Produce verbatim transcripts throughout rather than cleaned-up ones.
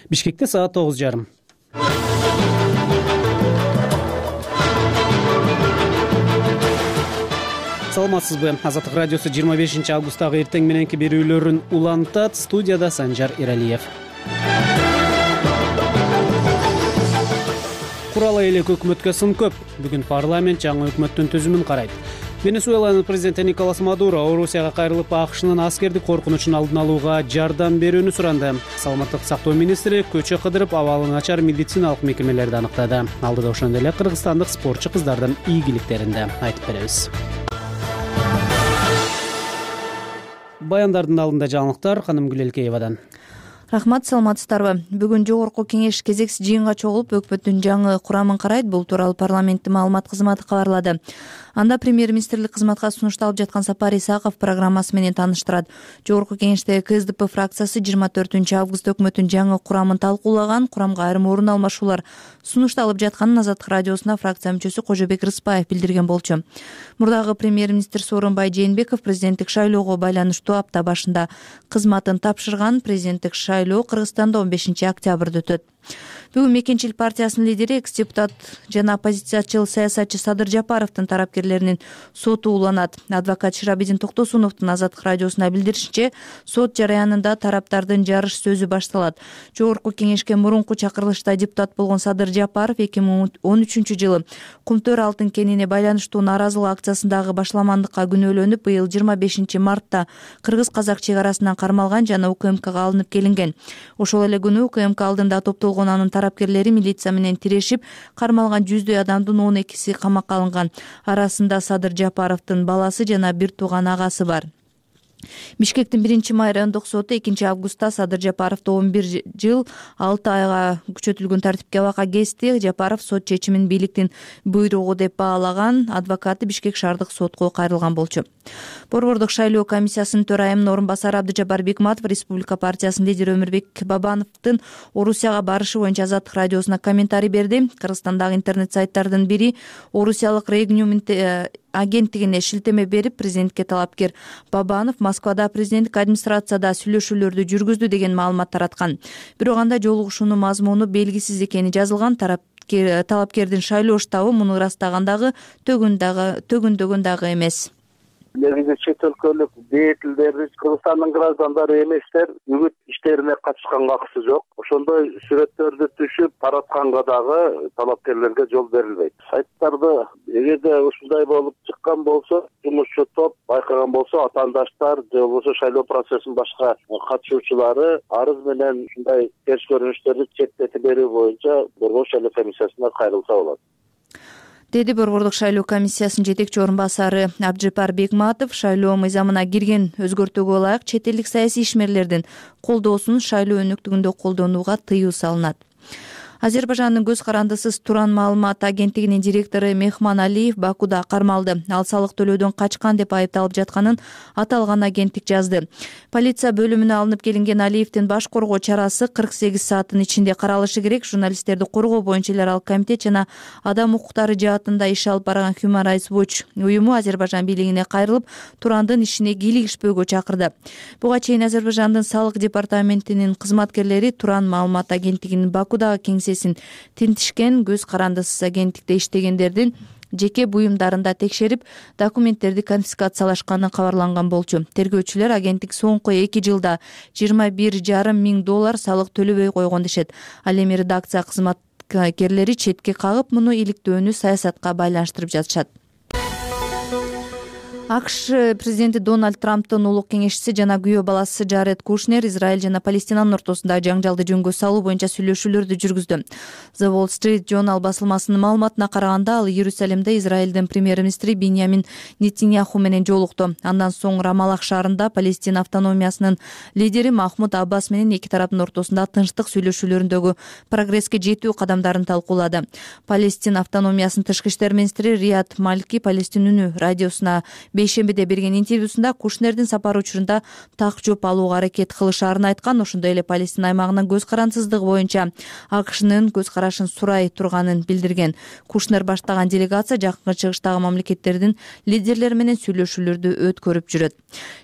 Бишкекте саат тогуз жарым. Саламатсызбы? Азаттык радиосу жыйырма бешинчи августтагы эртең мененки берүүлөрүн улантат. Студияда Санжар Иралиев. Курала элек өкмөткө сын көп. Бүгүн парламент жаңы өкмөттүн түзүмүн карайт. Венесуэланын президенти Николас Мадуро Орусияга кайрылып, АКШнын аскердик коркунучун алдын алууга жардам берүүнү суранды. Саламаттык сактоо министри көчө кыдырып, абалы начар медициналык мекемелерди аныктады. Алдыда ошондой эле кыргызстандык спортчу кыздардын ийгиликтеринде айтып беребиз. Баяндардын алдында жаңылыктар Ханым Гүлелкеевадан. Рахмат, саламатсыздарбы? Бүгүн жогорку кеңеш кезекси жыйынга чогулуп, өкмөттүн жаңы курамын карайт. Бул тууралуу парламенттин маалымат кызматы кабарлады. Анда премьер-министрлик кызматка сунушталып жаткан Сапар Исаков программасы менен тааныштырат. Жогорку кеңештеги КСДП фракциясы жыйырма төртүнчү август өкмөттүн жаңы курамын талкуулаган. Курамга айрым орун алмашуулар сунушталып жатканын Азаттык радиосуна фракция мүчөсү Кожобек Рыспаев билдирген болчу. Мурдагы премьер-министр Сооронбай Жээнбеков президенттик шайлоого байланыштуу апта башында кызматын тапшырган. Президенттик шайлоо Кыргызстанда он бешинчи октябрда өтөт. Бүгүн Мекенчил партиясынын лидери, экс-депутат жана оппозициячыл саясатчы Садыр Жапаровдун тарапкерлеринин соту уланат. Адвокат Ширабидин Токтосуновдун Азаттык радиосуна билдиришинче, сот жараянында тараптардын жарыш сөзү башталат. Жогорку кеңешке мурунку чакырылышта депутат болгон Садыр Жапаров эки миң он үчүнчү жылы Кумтөр алтын кенине байланыштуу нааразылык акциясындагы башламандыкка күнөөлөнүп, быйыл жыйырма бешинчи мартта кыргыз-казак чек арасынан кармалган жана УКМКга алынып келинген. Ошол эле күнү УКМК алдында топтолгон анын тарапкерлери милиция менен тирешип, кармалган жүздөй адамдын он экиси камакка алынган. Арасында Садыр Жапаровдун баласы жана бир тууган агасы бар. Бишкектин биринчи май райондук соту экинчи августта Садыр Жапаровду он бир жыл алты айга күчөтүлгөн тартипке абакка кести. Жапаров сот чечимин бийликтин буйругу деп баалаган. Адвокаты Бишкек шаардык сотко кайрылган болчу. Борбордук шайлоо комиссиясынын төрайымынын орун басары Абдыжапар Бекматов Республика партиясынын лидери Өмүрбек Бабановдун Орусияга барышы боюнча Азаттык радиосуна комментарий берди. Кыргызстандагы интернет сайттардын бири Орусиялык Регниум агенттигине шилтеме берип, президентке талапкер Бабанов Москвада президенттик администрацияда сүйлөшүүлөрдү жүргүздү деген маалымат тараткан. Бирок анда жолугушуунун мазмуну белгисиз экени жазылган. Талапкердин шайлоо штабы муну ырастагандагы төгүндөгөн дагы эмес. Негизи чет өлкөлүк деятелдер, Кыргызстандын граждандары эместер, үгүт иштерине катышканга акысы жок. Ошондой сүрөттөрдү түшүп таратканга дагы талапкерлерге жол берилбейт. Сайттарды эгерде ушундай болуп чыккан болсо, жумушчу топ байкаган болсо, атаандаштар же болбосо шайлоо процессинин башка катышуучулары арыз менен ушундай терс көрүнүштөрдү чектетип берүү боюнча Борбор шайлоо комиссиясына кайрылса болот, деди Борбордук шайлоо комиссиясынын жетекчи орун басары Абдыжапар Бекматов. Шайлоо мыйзамына кирген өзгөртүүгө ылайык чет элдик саясий ишмерлердин колдоосун шайлоо өнөктүгүндө колдонууга тыюу салынат. Азербайжандын көз карандысыз Туран маалымат агенттигинин директору Мехман Алиев Бакуда кармалды. Ал салык төлөөдөн качкан деп айыпталып жатканын аталган агенттик жазды. Полиция бөлүмүнө алынып келинген Алиевдин баш коргоо чарасы кырк сегиз сааттын ичинде каралышы керек. Журналисттерди коргоо боюнча эл аралык комитет жана адам укуктары жаатында иш алып барган Human Rights Watch уюму Азербайжан бийлигине кайрылып, Турандын ишине кийлигишпөөгө чакырды. Буга чейин Азербайжандын салык департаментинин кызматкерлери Туран маалымат агенттигинин Бакудагы кеңсесин тинтишкен. Көз карандысыз агенттикте иштегендердин жеке буюмдарында текшерип, документтерди конфискациялашканы кабарланган болчу. Тергөөчүлөр агенттик соңку эки жылда жыйырма бир жарым миң доллар салык төлөбөй койгон дешет. Ал эми редакция кызматкерлери четке кагып, муну иликтөөнү саясатка байланыштырып жатышат. АКШ президенти Дональд Трамптын улук кеңешчиси жана күйөө баласы Джаред Кушнер Израиль жана Палестинанын ортосундагы жаңжалды жөнгө салуу боюнча сүйлөшүүлөрдү жүргүздү. The Wall Street Journal басылмасынын маалыматына караганда, ал Иерусалимде Израилдин премьер-министри Биньямин Нетиньяху менен жолукту. Андан соң Рамалах шаарында Палестина автономиясынын лидери Махмуд Аббас менен эки тараптын ортосунда тынчтык сүйлөшүүлөрүндөгү прогресске жетүү кадамдарын талкуулады. Палестина автономиясынын тышкы иштер министри Рият Малки Палестин үнү радиосуна бейшембиде берген интервьюсунда Кушнердин сапары учурунда так жоп алууга аракет кылышаарын айткан, ошондой эле Палестина аймагынын көз карансыздыгы боюнча АКШнын көз карашын сурай турганын билдирген. Кушнер баштаган делегация Жакынкы Чыгыштагы мамлекеттердин лидерлери менен сүйлөшүүлөрдү өткөрүп жүрөт.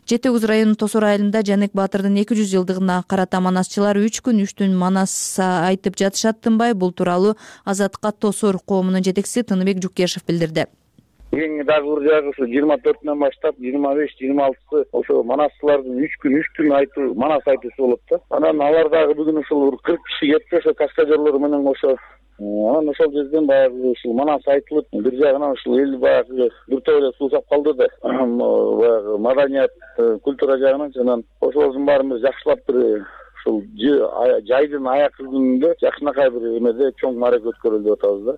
Жети Огуз районунун Тосор айылында Жанек Баатырдын эки жүз жылдыгына карата манасчылар үч күн үч түн манас айтып жатышат тынбай. Бул тууралуу Азаттыкка Тосор коомунун жетекчиси Тыныбек Жукешев билдирди. Эң дагы бир жагы ушу жыйырма төртүнөн баштап жыйырма беш жыйырма алтысы ошо манасчылардын үч күн үч түн айтуу манас айтуусу болот да. Анан алар дагы бүгүн ушул кырк киши кетти ошо каскадерлор менен ошо. Анан ошол жерден баягы ушул манас айтылып, бир жагынан ушул эл баягы бир топ эле суусап калды да. Баягы маданият, культура жагынан анан ошолордун баарын бир жакшылап бир ушул жайдын аякы күнүндө жакшынакай бир эмеде чоң маарек өткөрүлдү деп атабыз да.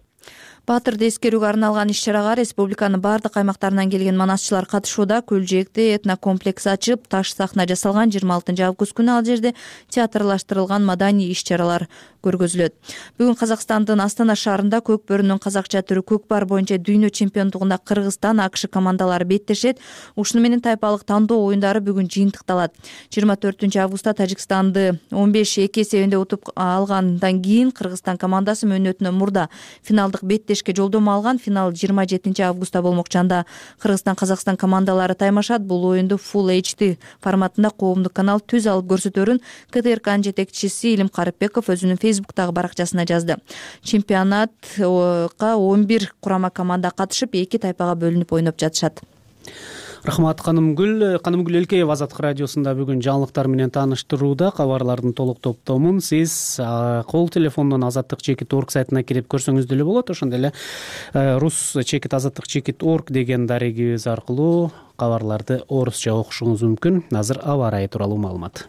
Баатырды эскерүүгө арналган иш-чарага республиканын бардык аймактарынан келген манасчылар катышууда. Көлжээгде этнокомплекс ачып, таш сахна жасалган. жыйырма алтынчы август күнү ал жерде театрлаштырылган маданий иш-чаралар көргөзүлөт. Бүгүн Казакстандын Астана шаарында көк бөрүнүн казакча түрү көкпар боюнча дүйнө чемпиондугунда Кыргызстан, АКШ командалары беттешет. Ушуну менен тайпалык тандоо оюндары бүгүн жыйынтыкталат. жыйырма төртүнчү августта Тажикстанды он беш эки эсебинде утуп алгандан кийин Кыргызстан командасы мөөнөтүнөн мурда финалдык беттешке жолдомо алган. Финал жыйырма жетинчи августта болмокчу. Анда Кыргызстан Казакстан командалары таймашат. Бул оюнду Full эйч ди форматында коомдук канал түз алып көрсөтөрүн КТРКнын жетекчиси Илим Карыпбеков өзүнүн фейсбуктагы баракчасына жазды. Чемпионатка он бир курама команда катышып, эки тайпага бөлүнүп ойноп жатышат. Рахмат Канымгүл. Канымгүл Элкеева Азаттык радиосунда бүгүн жаңылыктар менен тааныштырууда. Кабарлардын толук топтомун сиз кол телефондон азаттык чекит орг сайтына кирип көрсөңүз деле болот. Ошондой эле рус чекит азаттык чекит орг деген дарегибиз аркылуу кабарларды орусча окушуңуз мүмкүн. Азыр аба ырайы тууралуу маалымат.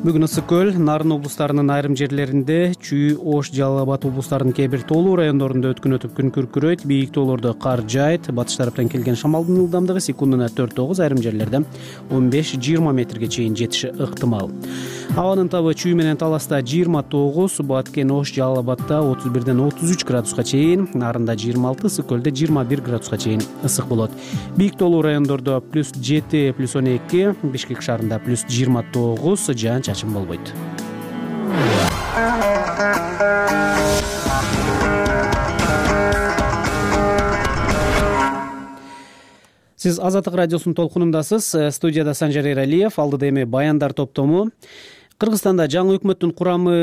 Бүгүн ысык көл, Нарын облустарынын айрым жерлеринде, Чүй, Ош, Жалал Абад облустарынын кээ бир тоолуу райондорунда өткөн өтүп күн күркүрөйт, бийик тоолордо кар жаайт. Батыш тараптан келген шамалдын ылдамдыгы секундуна төрт тогуз, айрым жерлерде он беш жыйырма метрге чейин жетиши ыктымал. Абанын табы Чүй менен Таласта жыйырма тогуз, Баткен, Ош, Жалал Абадда отуз бирден отуз үч градуска чейин, Нарында жыйырма алты, Ысык көлдө жыйырма бир градуска чейин ысык болот. Бийик тоолуу райондордо плюс жети, плюс он эки, Бишкек шаарында плюс жыйырма тогуз, жаан-чачын болбойт. Сиз Азаттык радиосунун толкунундасыз. Студияда Санжар Эралиев, алдыда эми баяндар топтому. Кыргызстанда жаңы өкмөттүн курамы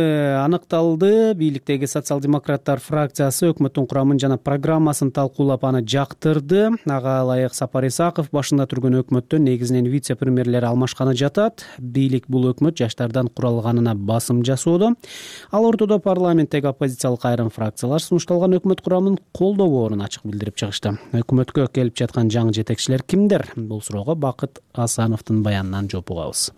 аныкталды. Бийликтеги социал-демократтар фракциясы өкмөттүн курамын жана программасын талкуулап аны жактырды. Ага ылайык Сапар Исаков башында турган өкмөттөн негизинен вице-премьерлер алмашканы жатат. Бийлик бул өкмөт жаштардан куралганына басым жасоодо. Ал ортодо парламенттеги оппозициялык айрым фракциялар сунушталган өкмөт курамын колдобоорун ачык билдирип чыгышты. Өкмөткө келип жаткан жаңы жетекчилер кимдер? Бул суроого Бакыт Асановдун баянынан жооп угабыз.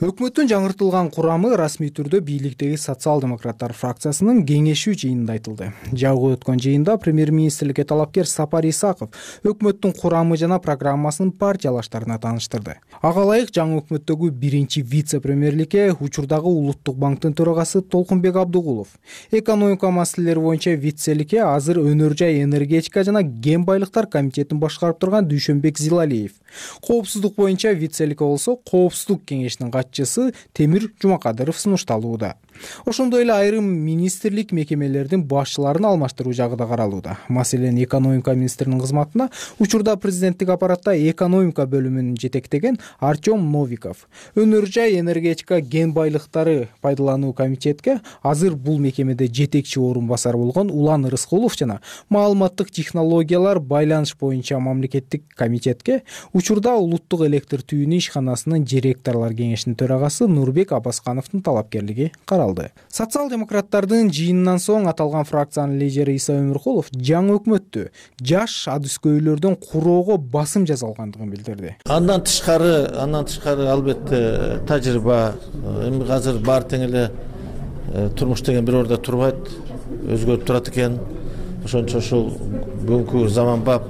Өкмөттүн жаңыртылган курамы расмий түрдө бийликтеги социал-демократтар фракциясынын кеңешүү жыйынында айтылды. Жабык өткөн жыйында премьер-министрликке талапкер Сапар Исаков өкмөттүн курамы жана программасын партиялаштарына тааныштырды. Ага ылайык жаңы өкмөттөгү биринчи вице-премьерликке учурдагы Улуттук банктын төрагасы Толкунбек Абдыгулов, экономика маселелери боюнча вицеликке азыр өнөр жай энергетика жана кен байлыктар комитетин башкарып турган Дүйшөнбек Зилалиев, коопсуздук боюнча вицеликке болсо коопсуздук кеңешинин катчысы Темир Жумакадыров сунушталууда. Ошондой эле айрым министрлик мекемелердин башчыларын алмаштыруу жагы да каралууда. Маселен, экономика министринин кызматына учурда президенттик аппаратта экономика бөлүмүн жетектеген Артем Новиков, өнөр жай энергетика кен байлыктары пайдалануу комитетке азыр бул мекемеде жетекчи орун басар болгон Улан Рыскулов жана маалыматтык технологиялар байланыш боюнча мамлекеттик комитетке учурда улуттук электр түйүнү ишканасынын директорлор кеңешинин төрагасы Нурбек Абаскановдун талапкерлиги каралды. Социал-демократтардын жыйынынан соң аталган фракциянын лидери Иса Өмүркулов жаңы өкмөттү жаш адыскөйлөрдөн куроого басым жасалгандыгын билдирди. Андан тышкары, андан тышкары албетте тажрыйба, эми азыр баары тең эле турмуш деген бир ордо турбайт, өзгөрүп турат экен. Ошончо ушул бүгүнкү заманбап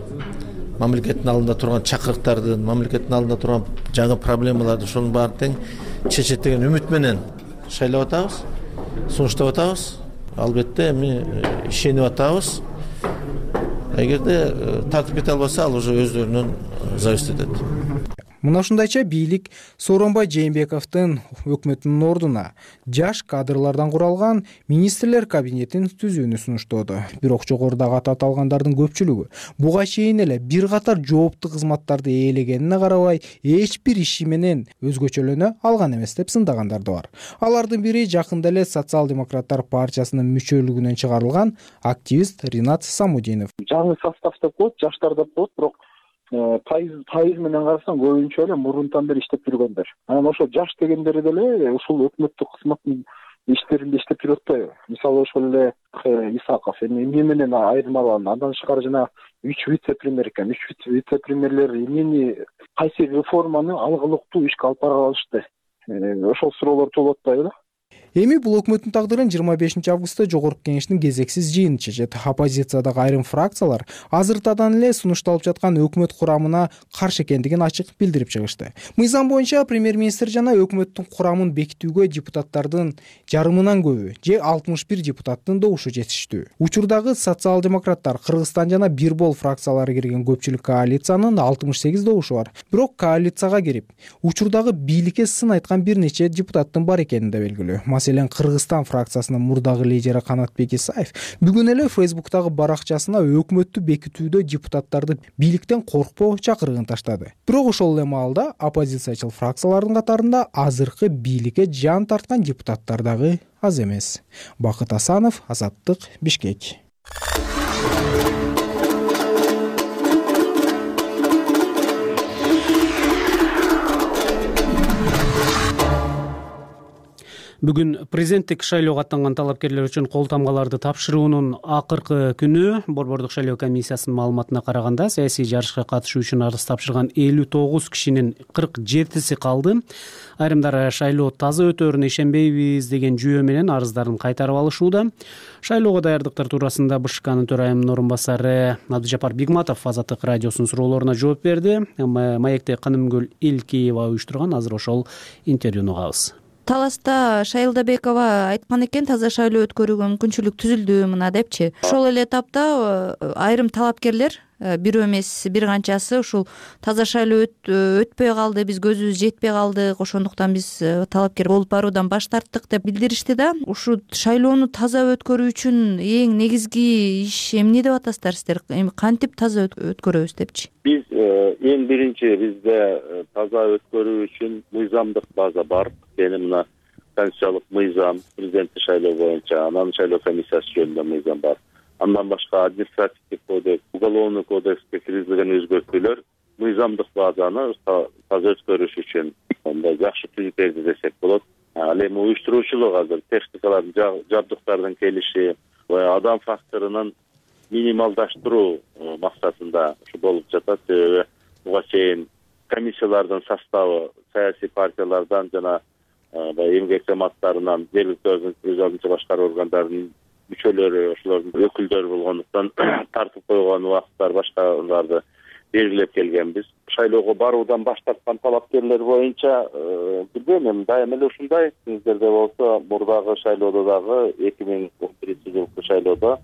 мамлекеттин алдында турган чакырыктардын, мамлекеттин алдында турган жаңы проблемаларды ошонун баары тең чечет деген үмүт менен шайлап атабыз, сунуштап атабыз. Албетте эми ишенип атабыз. эгерде тартип кете албаса, ал уже өздөрүнөн зависит этет. Мына ушундайча бийлик Сооронбай Жээнбековдун өкмөтүнүн ордуна жаш кадрлардан куралган министрлер кабинетин түзүүнү сунуштоодо. Бирок жогорудагы аты аталгандардын көпчүлүгү буга чейин эле бир катар жооптуу кызматтарды ээлегенине карабай эч бир иши менен өзгөчөлөнө алган эмес деп сындагандар да бар. Алардын бири жакында эле Социал-демократтар партиясынын мүчөлүгүнөн чыгарылган активист Ринат Самудинов. Жаңы состав деп коет, жаштар деп коет, бирок пайыз пайыз менен карасаң көбүнчө эле мурунтан бери иштеп жүргөндөр. Анан ошо жаш дегендери деле ушул өкмөттүк кызматтын иштеринде иштеп жүрүп атпайбы? Мисалы ошол эле Исаков эми эмне менен айырмаланат? Андан тышкары жана үч вице-премьер экен. үч вице-премьерлер эмнени кайсы реформаны алгылыктуу ишке алып бара алышты? Ошол суроолор туулуп атпайбы да? Эми бул өкмөттүн тагдырын жыйырма бешинчи августта жогорку кеңештин кезексиз жыйыны чечет. Оппозициядагы айрым фракциялар азыртадан эле сунушталып жаткан өкмөт курамына каршы экендигин ачык билдирип чыгышты. Мыйзам боюнча премьер-министр жана өкмөттүн курамын бекитүүгө депутаттардын жарымынан көбү же алтымыш бир депутаттын добушу жетиштүү. Учурдагы социал-демократтар, Кыргызстан жана Бирбол фракциялары кирген көпчүлүк коалициянын алтымыш сегиз добушу бар. Бирок коалицияга кирип, учурдагы бийликке сын айткан бир нече депутаттын бар экени да белгилүү. Маселен, Кыргызстан фракциясынын мурдагы лидери Канатбек Исаев бүгүн эле Фейсбуктагы баракчасына өкмөттү бекитүүдө депутаттарды бийликтен коркпоо чакырыгын таштады. Бирок ошол эле маалда оппозициячыл фракциялардын катарында азыркы бийликке жан тарткан депутаттар дагы аз эмес. Бакыт Асанов, Азаттык, Бишкек. Бүгүн президенттик шайлоого аттанган талапкерлер үчүн кол тамгаларды тапшыруунун акыркы күнү. Борбордук шайлоо комиссиясынын маалыматына караганда, саясий жарышка катышуу үчүн арыз тапшырган элүү тогуз кишинин кырк жетиси калды. Айрымдары шайлоо таза өтөөрүнө ишенбейбиз деген жүйө менен арыздарын кайтарып алышууда. Шайлоого даярдыктар туурасында БШКнын төрайымынын орун басары Абдыжапар Бигматов Азаттык радиосунун суроолоруна жооп берди. Маекте Канымгүл Илкеева уюштурган азыр ошол интервьюну угабыз. Таласта Шайлдабекова айткан экен, таза шайлоо өткөрүүгө мүмкүнчүлүк түзүлдү мына депчи. Ошол эле этапта айрым талапкерлер, бирөө эмес бир канчасы ушул таза шайлоо өтпөй калды, биз көзүбүз жетпей калдык, ошондуктан биз талапкер болуп баруудан баш тарттык деп билдиришти да. Ушул шайлоону таза өткөрүү үчүн эң негизги иш эмне деп атасыздар сиздер? Эми кантип таза өткөрөбүз депчи? Биз эң биринчи бизде таза өткөрүү үчүн мыйзамдык база бар. Эми мына конституциялык мыйзам, президенттик шайлоо боюнча, анан шайлоо комиссиясы жөнүндө мыйзам бар. Андан башка административдик кодекс, уголовный кодекске киргизилген өзгөртүүлөр мыйзамдык базаны таза өткөрүш үчүн мындай жакшы түзүп берди десек болот. Ал эми уюштуруучулук азыр техникалардын, жабдыктардын келиши, адам факторунун минималдаштыруу максатында ушу болуп жатат. Себеби буга чейин комиссиялардын составы саясий партиялардан жана эмгек жамааттарынан, жергиликтүү өз алдынча башкаруу органдарынын мүчөлөрү, ошолордун өкүлдөрү болгондуктан тартып койгон убакыттар башкаларды белгилеп келгенбиз. Шайлоого баруудан баш тарткан талапкерлер боюнча билбейм, эми дайыма эле ушундай. Сиздерде болсо мурдагы шайлоодо дагы эки миң он биринчи жылкы шайлоодо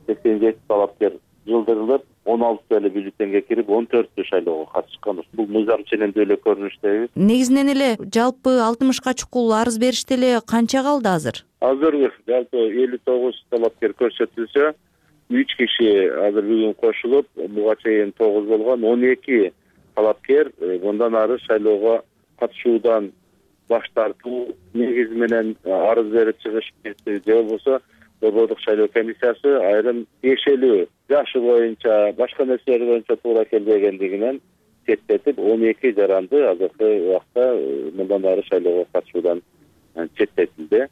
сексен жети талапкер жылдырылып, он алты эле бюллетенге кирип, он төртү шайлоого катышкан. Бул мыйзам ченемдүү эле көрүнүштөбүз. Негизинен эле жалпы алтымышка чукул арыз беришти эле канча калды азыр? Азыр жалпы элүү тогуз талапкер көрсөтүлсө, үч киши азыр бүгүн кошулуп, буга чейин тогуз болгон, он эки талапкер мындан ары шайлоого катышуудан баш тартуу негизи менен арыз берип чыгышып же болбосо Борбордук шайлоо комиссиясы айрым тиешелүү жашы боюнча, башка нерселер боюнча туура келбегендигинен четтетип, он эки жаранды азыркы убакта мындан ары шайлоого катышуудан четтетилди.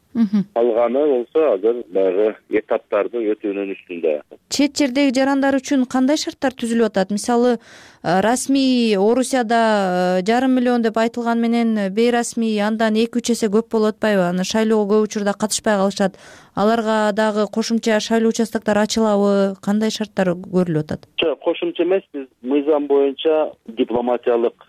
Калганы болсо азыр баягы этаптарды өтүүнүн үстүндө. Чет жердеги жарандар үчүн кандай шарттар түзүлүп атат? Мисалы, расмий Орусияда жарым миллион деп айтылган менен бейрасмий андан эки үч эсе көп болуп атпайбы? Аны шайлоого көп учурда катышпай калышат. Аларга дагы кошумча шайлоо участоктор ачылабы? Кандай шарттар көрүлүп атат? Кошумча эмес, биз мыйзам боюнча дипломатиялык,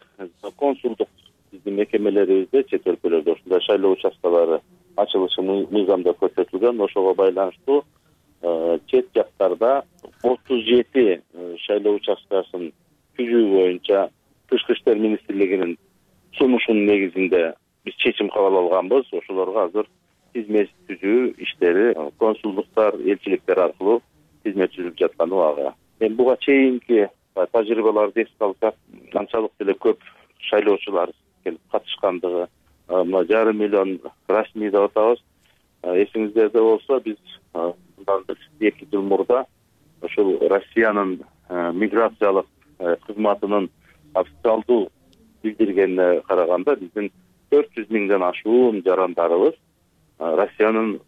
консулдук биздин мекемелерибизде чет өлкөлөрдө ушундай шайлоо участкалары ачылышы мыйзамда көрсөтүлгөн. Ошого байланыштуу чет жактарда отуз жети шайлоо участкасын түзүү боюнча Тышкы иштер министрлигинин сунушунун негизинде биз чечим кабыл алганбыз. Ошолорго азыр тизме түзүү иштери консулдуктар, элчиликтер аркылуу тизме түзүлүп жаткан убагы. Эми буга чейинки тажрыйбаларды эске алсак, канчалык деле көп шайлоочулар келип катышкандыгы, мына жарым миллион расмий деп атабыз. Эсиңиздерде болсо, биз мындан бир эки жыл мурда ошол Россиянын миграциялык кызматынын официалдуу билдиргенине караганда биздин төрт жүз миңден ашуун жарандарыбыз Россиянын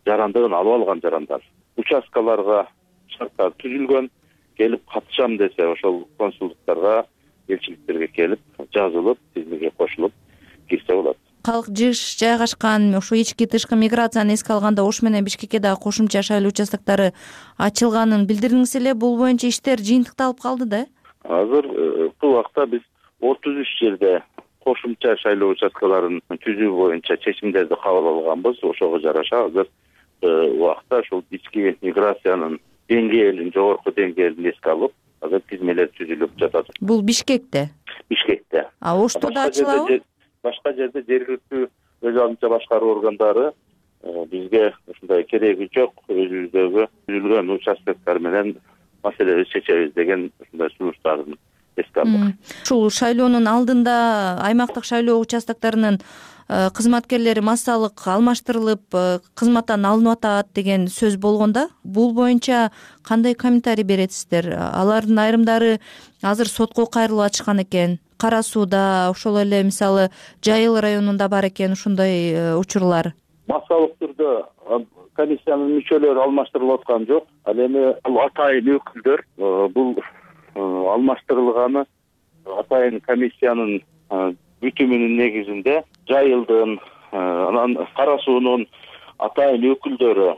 жарандыгын алып алган жарандар. Участкаларга шарттар түзүлгөн, келип катышам десе ошол консулдуктарга, элчиликтерге келип жазылып, тизмеге кошулуп кирсе болот. Калк жыш жайгашкан ошо ички тышкы миграцияны эске алганда Ош менен Бишкекке дагы кошумча шайлоо участоктору ачылганын билдирдиңиз эле. Бул боюнча иштер жыйынтыкталып калды да? Азыр бул убакта биз отуз үч жерде кошумча шайлоо участкаларын түзүү боюнча чечимдерди кабыл алганбыз. Ошого жараша азыр убакта ушул ички миграциянын деңгээлин, жогорку деңгээлин эске алып, азыр тизмелер түзүлүп жатат. Бул Бишкекте? Бишкекте. А Ошто да ачылабы? Башка жерде жергиликтүү өз алдынча башкаруу органдары бизге ушундай кереги жок, өзүбүздөгү түзүлгөн участоктор менен маселебизди чечебиз деген ушундай сунуштарын эске алдык. Ушул шайлоонун алдында аймактык шайлоо участокторунун кызматкерлери массалык алмаштырылып, кызматтан алынып атат деген сөз болгондо, бул боюнча кандай комментарий бересиздер? Алардын айрымдары азыр сотко кайрылып атышкан экен. Кара Сууда, ошол эле мисалы Жайыл районунда бар экен ушундай учурлар. Массалык түрдө комиссиянын мүчөлөрү алмаштырылып аткан жок. Ал эми атайын өкүлдөр бул алмаштырылганы атайын комиссиянын бүтүмүнүн негизинде Жайылдын, анан Кара Суунун атайын өкүлдөрү,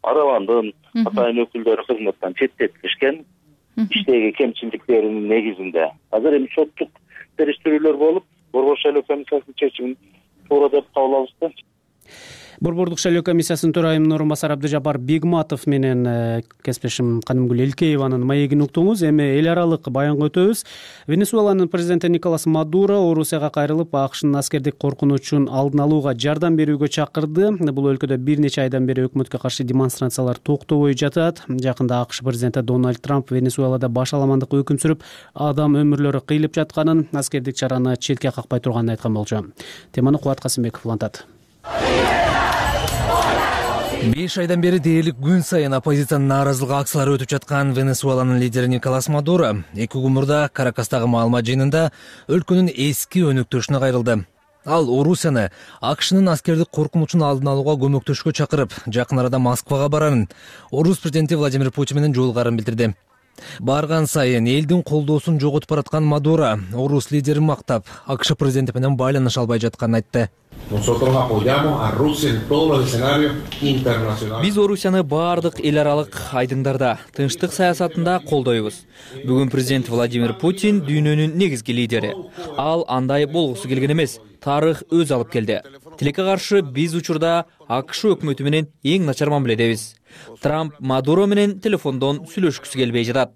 Арабандын атайын өкүлдөрү кызматтан четтетилишкен, иштеги кемчиликтеринин негизинде. Азыр эми соттук териштирүүлөр болуп, Борбор шайлоо комиссиясынын чечимин туура деп кабыл алышты. Борбордук шайлоо комиссиясынын төрайымынын орун басары Абдыжапар Бегматов менен кесиптешим Канымгүл Элкееванын маегин уктуңуз. Эми эл аралык баянга өтөбүз. Венесуэланын президенти Николас Мадуро Орусияга кайрылып, АКШнын аскердик коркунучун алдын алууга жардам берүүгө чакырды. Бул өлкөдө бир нече айдан бери өкмөткө каршы демонстрациялар токтобой жатат. Жакында АКШ президенти Дональд Трамп Венесуэлада баш аламандык өкүм сүрүп, адам өмүрлөрү кыйылып жатканын, аскердик чараны четке какпай турганын айткан болчу. Теманы Кубат Касымбеков улантат. беш айдан бери дээрлик күн сайын оппозициянын нааразылык акциялары өтүп жаткан Венесуэланын лидери Николас Мадуро эки күн мурда Каракастагы маалымат жыйынында өлкөнүн эски өнөктөшүнө кайрылды. Ал Орусияны АКШнын аскердик коркунучун алдын алууга көмөктөшкө чакырып, жакын арада Москвага барарын, Орус президенти Владимир Путин менен жолугарын билдирди. Барган сайын элдин колдоосун жоготуп бараткан Мадуро Орус лидерин мактап, АКШ президенти менен байланыша албай жатканын айтты. Биз Орусияны баардык эл аралык айдыңдарда, тынчтык саясатында колдойбуз. Бүгүн президент Владимир Путин дүйнөнүн негизги лидери. Ал андай болгусу келген эмес, тарых өз алып келди. Тилекке каршы биз учурда АКШ өкмөтү менен эң начар мамиледебиз. Трамп Мадуро менен телефондон сүйлөшкүсү келбей жатат.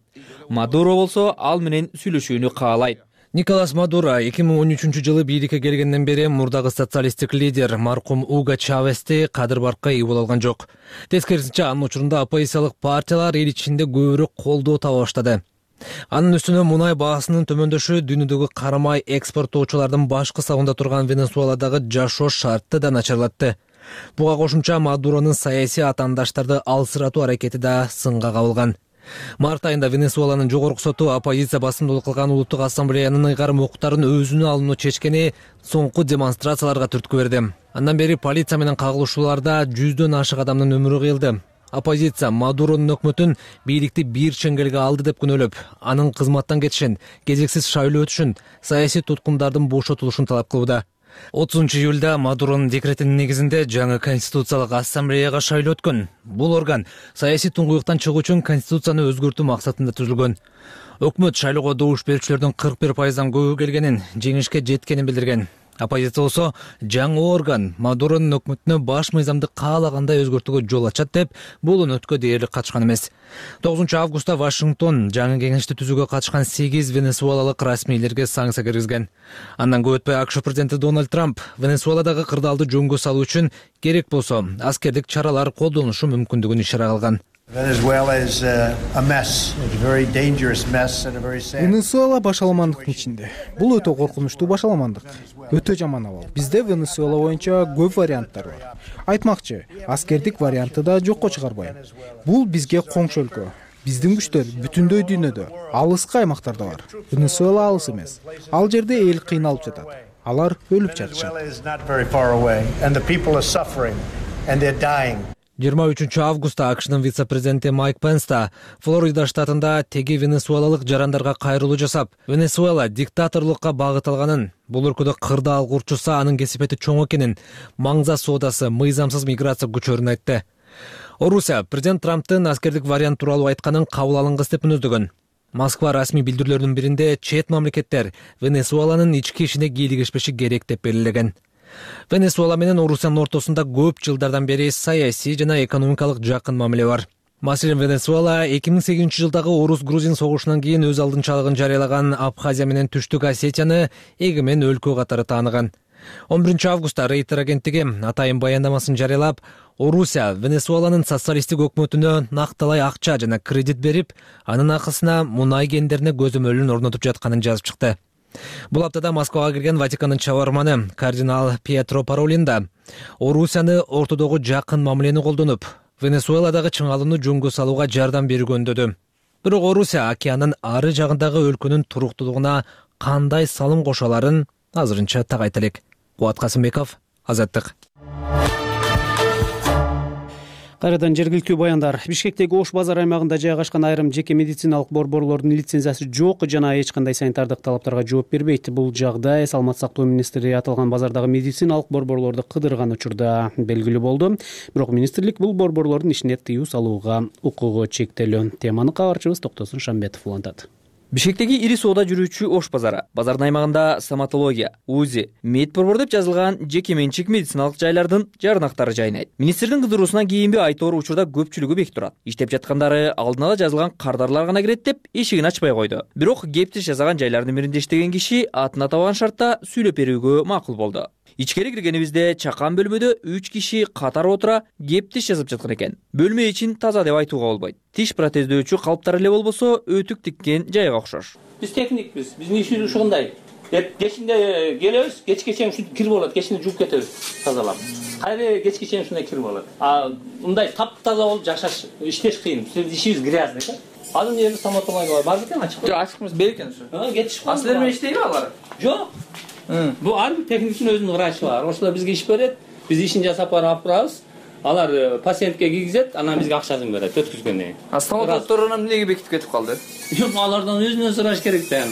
Мадуро болсо ал менен сүйлөшүүнү каалайт. Николас Мадуро эки миң он үчүнчү жылы бийликке келгенден бери мурдагы социалисттик лидер маркум Уго Чавести кадыр баркка ээ боло алган жок. Тескерисинче анын учурунда оппозициялык партиялар эл ичинде көбүрөөк колдоо таба баштады. Анын үстүнө мунай баасынын төмөндөшү дүйнөдөгү карамай экспорттоочулардын башкы сабында турган Венесуэладагы жашоо шартты да начарлатты. Буга кошумча Мадуронун саясий атаандаштарды алсыратуу аракети да сынга кабылган. Март айында Венесуэланын жогорку соту оппозиция басымдуулук кылган улуттук ассамблеянын ыйгарым укуктарын өзүнө алууну чечкени соңку демонстрацияларга түрткү берди. Андан бери полиция менен кагылышууларда жүздөн ашык адамдын өмүрү кыйылды. Оппозиция Мадуронун өкмөтүн бийликти бир чеңгелге алды деп күнөөлөп, анын кызматтан кетишин, кезексиз шайлоо өтүшүн, саясий туткундардын бошотулушун талап кылууда. отузунчу июлда Мадуронун декретинин негизинде жаңы конституциялык ассамблеяга шайлоо өткөн. Бул орган саясий туңгуюктан чыгуу үчүн конституцияны өзгөртүү максатында түзүлгөн. Өкмөт шайлоого добуш берүүчүлөрдүн кырк бир пайыздан көбү келгенин, жеңишке жеткенин билдирген. Оппозиция болсо жаңы орган Мадуронун өкмөтүнө баш мыйзамды каалагандай өзгөртүүгө жол ачат деп бул өнөткө дээрлик катышкан эмес. тогузунчу августта Вашингтон жаңы кеңешти түзүүгө катышкан сегиз венесуэлалык расмийлерге санкция киргизген. Андан көп өтпөй АКШ президенти Дональд Трамп Венесуэладагы кырдаалды жөнгө салуу үчүн керек болсо аскердик чаралар колдонушу мүмкүндүгүн ишара кылган. Венесуэла башаламандыктын ичинде. Бул өтө коркунучтуу башаламандык. Өтө жаман абал. Бизде Венесуэла боюнча көп варианттар бар. Айтмакчы, аскердик вариантты да жокко чыгарбайм. Бул бизге коңшу өлкө. Биздин күчтөр бүтүндөй дүйнөдө, алыскы аймактарда бар. Венесуэла алыс эмес. Ал жерде эл кыйналып жатат. Алар өлүп жатышат. жыйырма үчүнчү августта АКШнын вице-президенти Майк Пенс да Флорида штатында теги венесуэлалык жарандарга кайрылуу жасап, Венесуэла диктаторлукка багыт алганын, бул өлкөдө кырдаал курчуса анын кесипети чоң экенин, маңза соодасы, мыйзамсыз миграция күчөрүн айтты. Орусия президент Трамптын аскердик вариант тууралуу айтканын кабыл алынгыс деп мүнөздөгөн. Москва расмий билдирүүлөрүнүн биринде чет мамлекеттер Венесуэланын ички ишине кийлигишпеши керек деп белгилеген. Венесуэла менен Орусиянын ортосунда көп жылдардан бери саясий жана экономикалык жакын мамиле бар. Маселен, Венесуэла эки миң сегизинчи жылдагы орус-грузин согушунан кийин өз алдынчалыгын жарыялаган Абхазия менен Түштүк Осетияны эгемен өлкө катары тааныган. он биринчи августта Рейтер агенттиги атайын баяндамасын жарыялап, Орусия Венесуэланын социалисттик өкмөтүнө накталай акча жана кредит берип, анын акысына мунай кендерине көзөмөлүн орнотуп жатканын жазып чыкты. Бул аптада Москвага кирген Ватикандын чабарманы кардинал Пьетро Паролин да Орусияны ортодогу жакын мамилени колдонуп, Венесуэладагы чыңалууну жөнгө салууга жардам берүүгө үндөдү. Бирок Орусия океандын ары жагындагы өлкөнүн туруктуулугуна кандай салым кошо аларын азырынча так айта элек. Кубат Касымбеков, Азаттык. Кайрадан жергиликтүү баяндар. Бишкектеги Ош базар аймагында жайгашкан айрым жеке медициналык борборлордун лицензиясы жок жана эч кандай санитардык талаптарга жооп бербейт. Бул жагдай Саламаттык сактоо министри аталган базардагы медициналык борборлорду кыдырган учурда белгилүү болду. Бирок министрлик бул борборлордун ишине тыюу салууга укугу чектелүү. Теманы кабарчыбыз Токтосун Шамбетов улантат. Бишкектеги ири соода жүрүүчү Ош базары. Базардын аймагында стоматология, УЗИ, медборбор деп жазылган жеке менчик медициналык жайлардын жарнактары жайнайт. Министрдин кыдыруусунан кийинби айтор учурда көпчүлүгү бек турат. Иштеп жаткандары алдын ала жазылган кардарлар гана кирет деп эшигин ачпай койду. Бирок кептиш жасаган жайлардын биринде иштеген киши атын атабаган шартта сүйлөп берүүгө макул болду. Ичкери киргенибизде чакан бөлмөдө үч киши катар отура кептиш жасап жаткан экен. Бөлмө ичин таза деп айтууга болбойт. Тиш протездөөчү калыптар эле болбосо өтүк тиккен жайга окшош. Биз техникпиз, биздин ишибиз ушундай. Кечинде келебиз, кечке чейин ушинтип кир болот, кечинде жууп кетебиз, тазалап. Кайра кечке чейин ушундай кир болот. А мындай таптаза болуп жашаш, иштеш кыйын. Биздин ишибиз грязный экен. Азыр жерде стоматология бар экен, ачык. Жок, ачык эмес, бер экен ушу. А, кетишип калды. Аслер менен иштейби алар? Жок. Бул ар бир техниктин өзүнүн врачы бар. Ошолор бизге иш берет, биз ишин жасап барып алып турабыз. Алар пациентке кийгизет, анан бизге акчасын берет өткүзгөндөн кийин. А стоматологдор эмнеге бекитип кетип калды? Жок, алардан өзүнөн сураш керек да.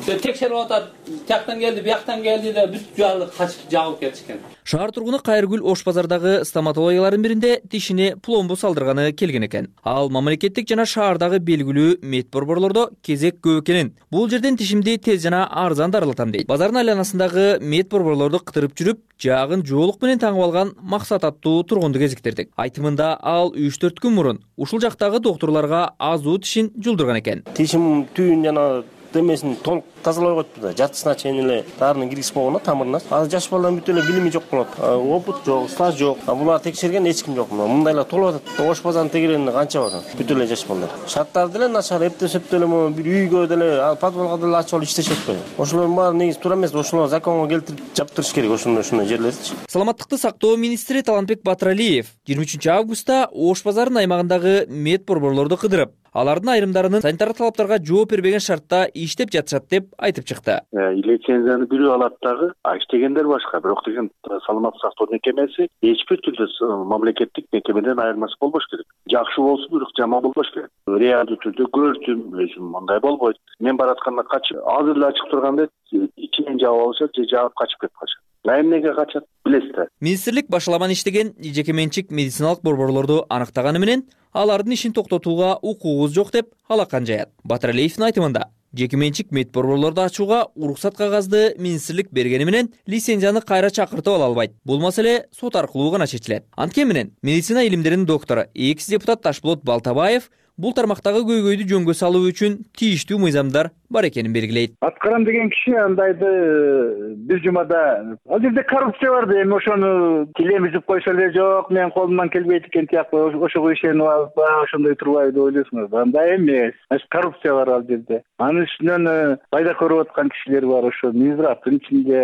Текшерип атат, тияктан келди, бияктан келди деп бүт жаалык качып жагып кетишкен. Шаар тургуну Кайргүл Ош базардагы стоматологиялардын биринде тишине пломбу салдырганы келген экен. Ал мамлекеттик жана шаардагы белгилүү медборборлордо кезек көп экенин, бул жерден тишимди тез жана арзан дарылатам дейт. Базардын айланасындагы медборборлорду кыдырып жүрүп, жаагын жоолук менен таңып алган Максат аттуу тургунду кезиктирдик. Айтымында ал үч төрт күн мурун ушул жактагы доктурларга азуу тишин жулдурган экен. Тишим түйүн жана демесин толук тазалай койтпу да, жатысына чейин эле дарыны киргизип койгон тамырына. Азыр жаш балдардын бүт эле билими жок болот. Опыт жок, стаж жок. Булар текшерген эч ким жок. Мындай эле толуп атат. Ош базарынын тегерегинде канча бар? Бүт эле жаш балдар. Шарттары деле начар, эптеп деле бир үйгө деле, подвалга деле ачып алып иштешет го. Ошолордун баары негизи туура эмес. Ошолор законго келтирип жаптырыш керек ошондой ошондой жерлерди. Саламаттыкты сактоо министри Талантбек Батыралиев жыйырма үчүнчү августта Ош базарынын аймагындагы медборборлорду кыдырып, алардын айрымдарынын санитардык талаптарга жооп бербеген шартта иштеп жатышат деп айтып чыкты. Лицензияны бирөө алат дагы, иштегендер башка. Бирок деген саламаттык сактоо мекемеси эч бир түрдө мамлекеттик мекемеден айырмасы болбош керек. Жакшы болсун, бирок жаман болбош керек. Реалдуу түрдө көрдүм, өзүм мындай болбойт. Мен баратканда качып, азыр эле ачык турганда ичинен жаап алышат, же жаап качып кетип калышат. Эмнеге качат билесиз? Министрлик башаламан иштеген жеке менчик медициналык борборлорду аныктаганы менен алардын ишин токтотууга укугубуз жок деп алакан жаят. Батыралиевдин айтымында, Жеке менчик мед борборлорду ачууга уруксат кагазды министрлик бергени менен лицензияны кайра чакыртып ала албайт. Бул маселе сот аркылуу гана чечилет. Анткени менен медицина илимдеринин доктору, экс депутат Ташболот Балтабаев бул тармактагы көйгөйдү жөнгө салуу үчүн тийиштүү мыйзамдар бар экенин белгилейт. Аткарам деген киши андайды бир жумада ал жерде коррупция бар да, эми ошону тилемизип койсо эле жок, менин колумдан келбейт экен тияктуу ошого ишенип алып ошондой турбайбы деп ойлойсуңуз. Андай эмес. Значит, коррупция бар ал жерде. Анын үстүнөн пайда көрүп аткан кишилер бар, ошо Минздравдын ичинде,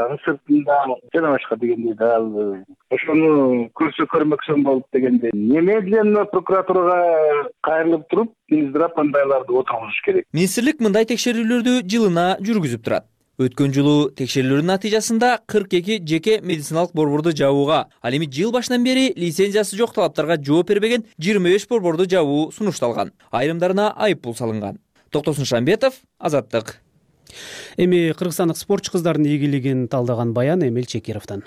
анын сыртында жана башка дегендей дал ошону көрсө көрмөксөн болуп дегендей. Немедленно прокуратурага кайрылып туруп, Минздрав андайларды отургузуш керек. Министрлик мындай текшерүүлөрдү жылына жүргүзүп турат. Өткөн жылуу текшерүүлөрдүн натыйжасында кырк эки жеке медициналык борборду жабууга, ал эми жыл башынан бери лицензиясы жок талаптарга жооп бербеген жыйырма беш борборду жабуу сунушталган. Айрымдарына айып пул салынган. Токтосун Шамбетов, Азаттык. Эми кыргызстандык спортчу кыздардын ийгилигин талдаган баян Эмил Чекировдон.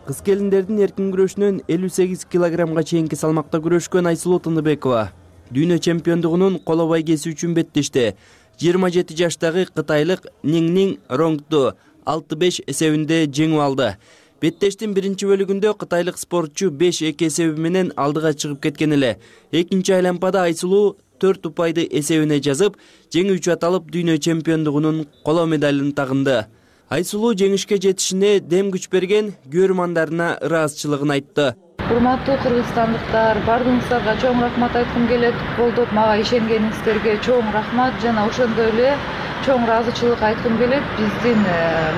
Кыз келиндердин эркин күрөшүнөн элүү сегиз килограммга чейинки салмакта күрөшкөн Айсулуу Тыныбекова дүйнө чемпиондугунун коло байгеси үчүн беттешти. жыйырма жети жаштагы кытайлык Ниңнин Ронгду алты беш эсебинде жеңип алды. Беттештин биринчи бөлүгүндө кытайлык спортчу беш эки эсеби менен алдыга чыгып кеткен эле. Экинчи айланпада Айсулуу төрт упайды эсебине жазып, жеңүүчү аталып дүйнө чемпиондугунун коло медалын тагынды. Айсулуу жеңишке жетишине дем күч берген көрөрмандарына ыраазычылыгын айтты. Урматтуу кыргызстандыктар, бардыгыңыздарга чоң рахмат айткым келет. Колдоп мага ишенгениңиздерге чоң рахмат жана ошондой эле чоң ыраазычылык айткым келет биздин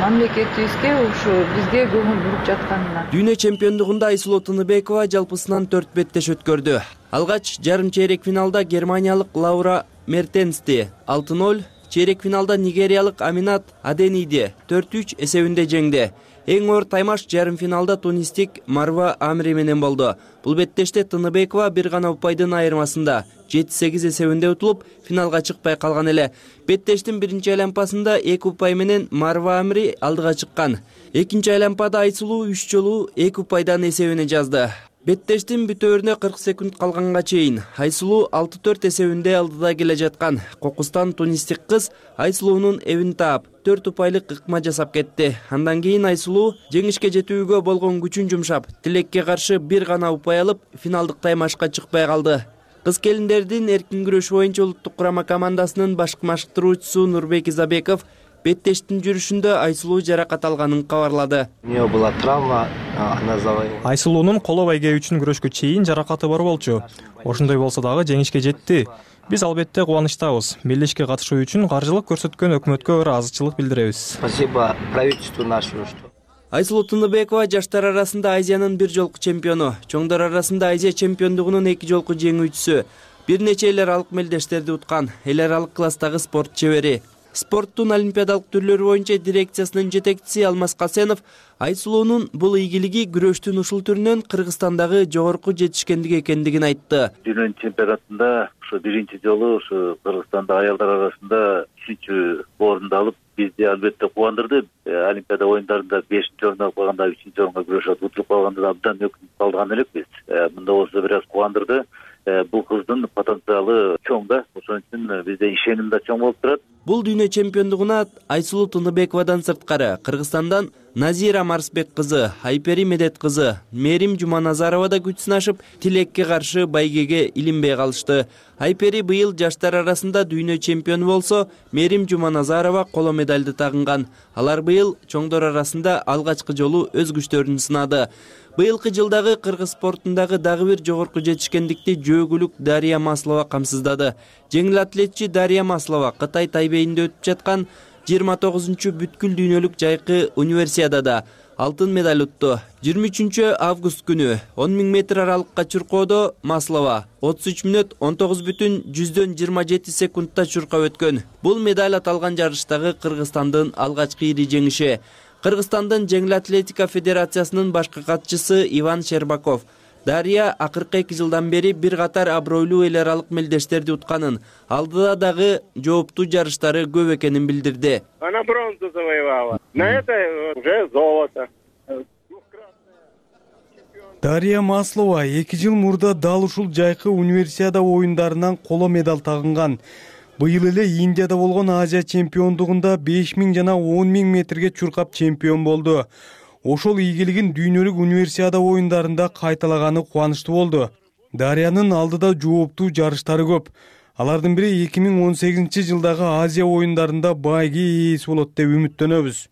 мамлекетибизге, ушу бизге көңүл буруп жатканына. Дүйнө чемпиондугунда Айсулуу Тыныбекова жалпысынан төрт беттеш өткөрдү. Алгач жарым чейрек финалда германиялык Лаура Мертенсти алты ноль, чейрек финалда нигериялык Аминат Адениди төрт үч эсебинде жеңди. Эң оор таймаш жарым финалда тунистик Марва Амри менен болду. Бул беттеште Тыныбекова бир гана упайдын айырмасында жети сегиз эсебинде утулуп, финалга чыкпай калган эле. Беттештин биринчи айланпасында эки упай менен Марва Амри алдыга чыккан. Экинчи айланпада Айсулуу үч жолу эки упайдан эсебине жазды. Беттештин бүтөөрүнө кырк секунд калганга чейин Айсулуу алты төрт эсебинде алдыда келе жаткан Кокустан тунистик кыз Айсулуунун эбин таап төрт упайлык ыкма жасап кетти. Андан кийин Айсулуу жеңишке жетүүгө болгон күчүн жумшап, тилекке каршы бир гана упай алып, финалдык таймашка чыкпай калды. Кыз келиндердин эркин күрөш боюнча улуттук курама командасынын башкы машыктыруучусу Нурбек Изабеков беттештин жүрүшүндө Айсулуу жаракат алганын кабарлады. У неё была травма, она завоевала. Айсулуунун коло байге үчүн күрөшкө чейин жаракаты бар болчу. Ошондой болсо дагы жеңишке жетти. Биз албетте кубанычтабыз. Мелдешке катышуу үчүн каржылык көрсөткөн өкмөткө ыраазычылык билдиребиз. Спасибо правительству нашему. Айсулуу Тыныбекова жаштар арасында Азиянын бир жолку чемпиону, чоңдор арасында Азия чемпиондугунун эки жолку жеңүүчүсү. Бир нече эл аралык мелдештерди уткан, эл аралык класстагы спорт чебери. Спорттун олимпиадалык түрлөрү боюнча дирекциясынын жетекчиси Алмаз Касенов Айсулуунун бул ийгилиги күрөштүн ушул түрүнөн Кыргызстандагы жогорку жетишкендик экендигин айтты. Дүйнө чемпионатында ушу биринчи жолу ушу Кыргызстанда аялдар арасында үчүнчү орунду алып, бизди албетте кубандырды. Олимпиада оюндарында бешинчи орунда калганда үчүнчү орунга күрөшүп утуруп калганда абдан өкүнүп калган элекпиз. Мында болсо бир аз кубандырды. Бул кыздын потенциалы чоң да, ошон үчүн бизде ишеним да чоң болуп турат. Бул дүйнө чемпиондугуна Айсулуу Тыныбековадан сырткары Кыргызстандан Назира Марсбек кызы, Айпери Медет кызы, Мерим Жуманазарова да күч сынашып, тилекке каршы байгеге илинбей калышты. Айпери быйыл жаштар арасында дүйнө чемпиону болсо, Мерим Жуманазарова коло медалды тагынган. Алар быйыл чоңдор арасында алгачкы жолу өз күчтөрүн сынады. Быйылкы жылдагы кыргыз спортундагы дагы бир жогорку жетишкендикти жөөгүлүк Дарья Маслова камсыздады. Жеңил атлетчи Дарья Маслова Кытай Тайбейинде өтүп жаткан жыйырма тогузунчу бүткүл дүйнөлүк жайкы универсиадада алтын медаль утту. жыйырма үчүнчү август күнү он миң метр аралыкка чуркоодо Маслова отуз үч мүнөт он тогуз бүтүн жүздөн жыйырма жети секундта чуркап өткөн. Бул медаль аталган жарыштагы Кыргызстандын алгачкы ири жеңиши. Кыргызстандын жеңил атлетика федерациясынын башкы катчысы Иван Щербаков Дарья акыркы эки жылдан бери бир катар абройлуу эл аралык мелдештерди утканын, алдыда дагы жооптуу жарыштары көп экенин билдирди. Она бронзу завоевала. На это уже золото. Дарья Маслова эки жыл мурда дал ушул жайкы универсиада оюндарынан коло медаль тагынган. Быйыл эле Индияда болгон Азия чемпиондугунда беш миң жана он миң метрге чуркап чемпион болду. Ошол ийгилигин дүйнөлүк универсиада оюндарында кайталаганы кубанычтуу болду. Дарьянын алдыда жооптуу жарыштары көп. Алардын бири эки миң он сегизинчи жылдагы Азия оюндарында байге ээси болот деп үмүттөнөбүз.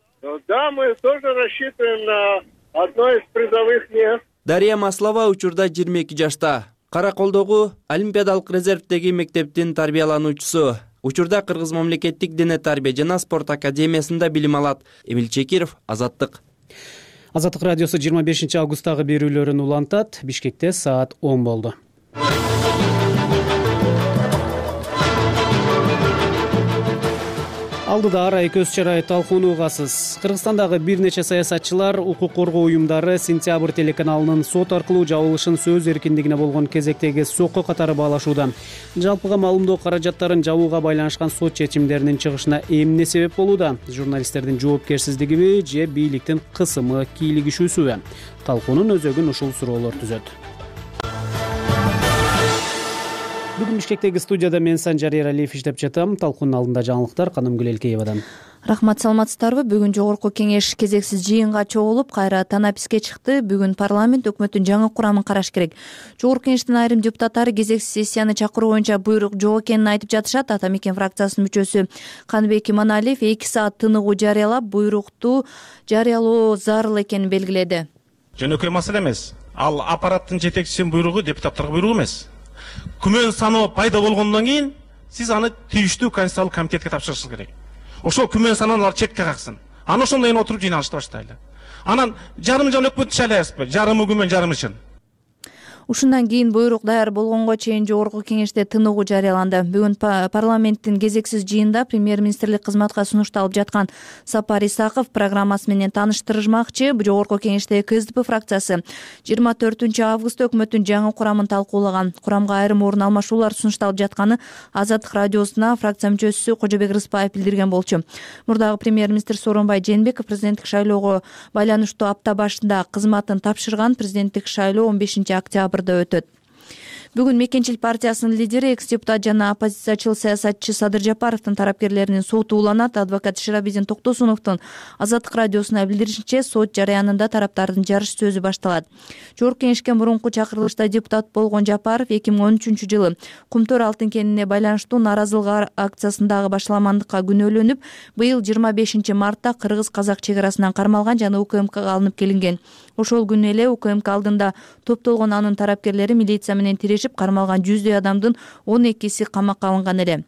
Да, мы тоже рассчитываем на одно из призовых мест. Дарья Маслова учурда жыйырма эки жашта. Караколдогу Олимпиадалык резервдеги мектептин тарбиялануучусу. Учурда Кыргыз мамлекеттик дене тарбия жана спорт академиясында билим алат. Эмил Чекиров, Азаттык. Азаттык радиосу жыйырма бешинчи августтагы берүүлөрүн улантат. Бишкекте саат он болду. Алдыда арай көз чарай талкуунуугасыз. Кыргызстандагы бир нече саясатчылар укук коргоо уюмдары Сентябрь телеканалынын сот аркылуу жабылышын сөз эркиндигине болгон кезектеги сокко катары баалашууда. Жалпыга маалымдоо каражаттарын жабууга байланышкан сот чечимдеринин чыгышына эмне себеп болууда? Журналисттердин жоопкерсиздигиби же бийликтин кысымы, кийлигишүүсүбү? Талкуунун өзөгүн ушул суроолор түзөт. Бүгүн Бишкектеги студияда мен Санжар Эралиев иштеп жатам. Талкуунун алдында жаңылыктар Канымгүл Элкеевадан. Рахмат, саламатсыздарбы? Бүгүн жогорку кеңеш кезексиз жыйынга чогулуп, кайра танаписке чыкты. Бүгүн парламент өкмөттүн жаңы курамын караш керек. Жогорку кеңештин айрым депутаттары кезексиз сессияны чакыруу боюнча буйрук жок экенин айтып жатышат. Ата мекен фракциясынын мүчөсү Каныбек Иманалиев эки саат тыныгуу жарыялап, буйрукту жарыялоо зарыл экенин белгиледи. Жөнөкөй маселе эмес. Ал аппараттын жетекчисинин буйругу, депутаттарга буйругу эмес. Күмөн саноо пайда болгондон кийин сиз аны тийиштүү конституциялык комитетке тапшырышыңыз керек. Ошол күмөн саноолор четке каксын. Аны ошондон кийин отуруп жыйналышты баштайлы. Анан жарым жыл өкмөт чайлайбызбы? Жарымы күмөн, жарымы чын. Ушундан кийин буйрук даяр болгонго чейин жогорку кеңеште тыныгуу жарыяланды. Бүгүн парламенттин кезексиз жыйынында премьер-министрлик кызматка сунушталып жаткан Сапар Исаков программасы менен тааныштырмакчы. Жогорку кеңеште КСДП фракциясы жыйырма төртүнчү августта өкмөттүн жаңы курамын талкуулаган. Курамга айрым орун алмашуулар сунушталып жатканы Азаттык радиосуна фракция мүчөсү Кожобек Рыспаев билдирген болчу. Мурдагы премьер-министр Сооронбай Жээнбеков президенттик шайлоого байланыштуу апта башында кызматын тапшырган. Президенттик шайлоо он бешинчи октябрда өтөт. Бүгүн Мекенчил партиясынын лидери, экс-депутат жана оппозициячыл саясатчы Садыр Жапаровдун тарапкерлеринин соту уланат. Адвокат Ширабидин Токтосуновдун Азаттык радиосуна билдиришинче, сот жарыянында тараптардын жарыш сөзү башталат. Жогорку кеңешке мурунку чакырылышта депутат болгон Жапаров эки миң он үчүнчү жылы Кумтөр алтын кенине байланыштуу нааразылык акциясындагы башаламандыкка күнөөлөнүп, быйыл жыйырма бешинчи мартта кыргыз-казак чек арасынан кармалган жана УКМКга алынып келинген. Ошол күнү эле УКМК алдында топтолгон анын тарапкерлери милиция менен тирешип, кармалган жүздөй адамдын он экиси камакка алынган эле.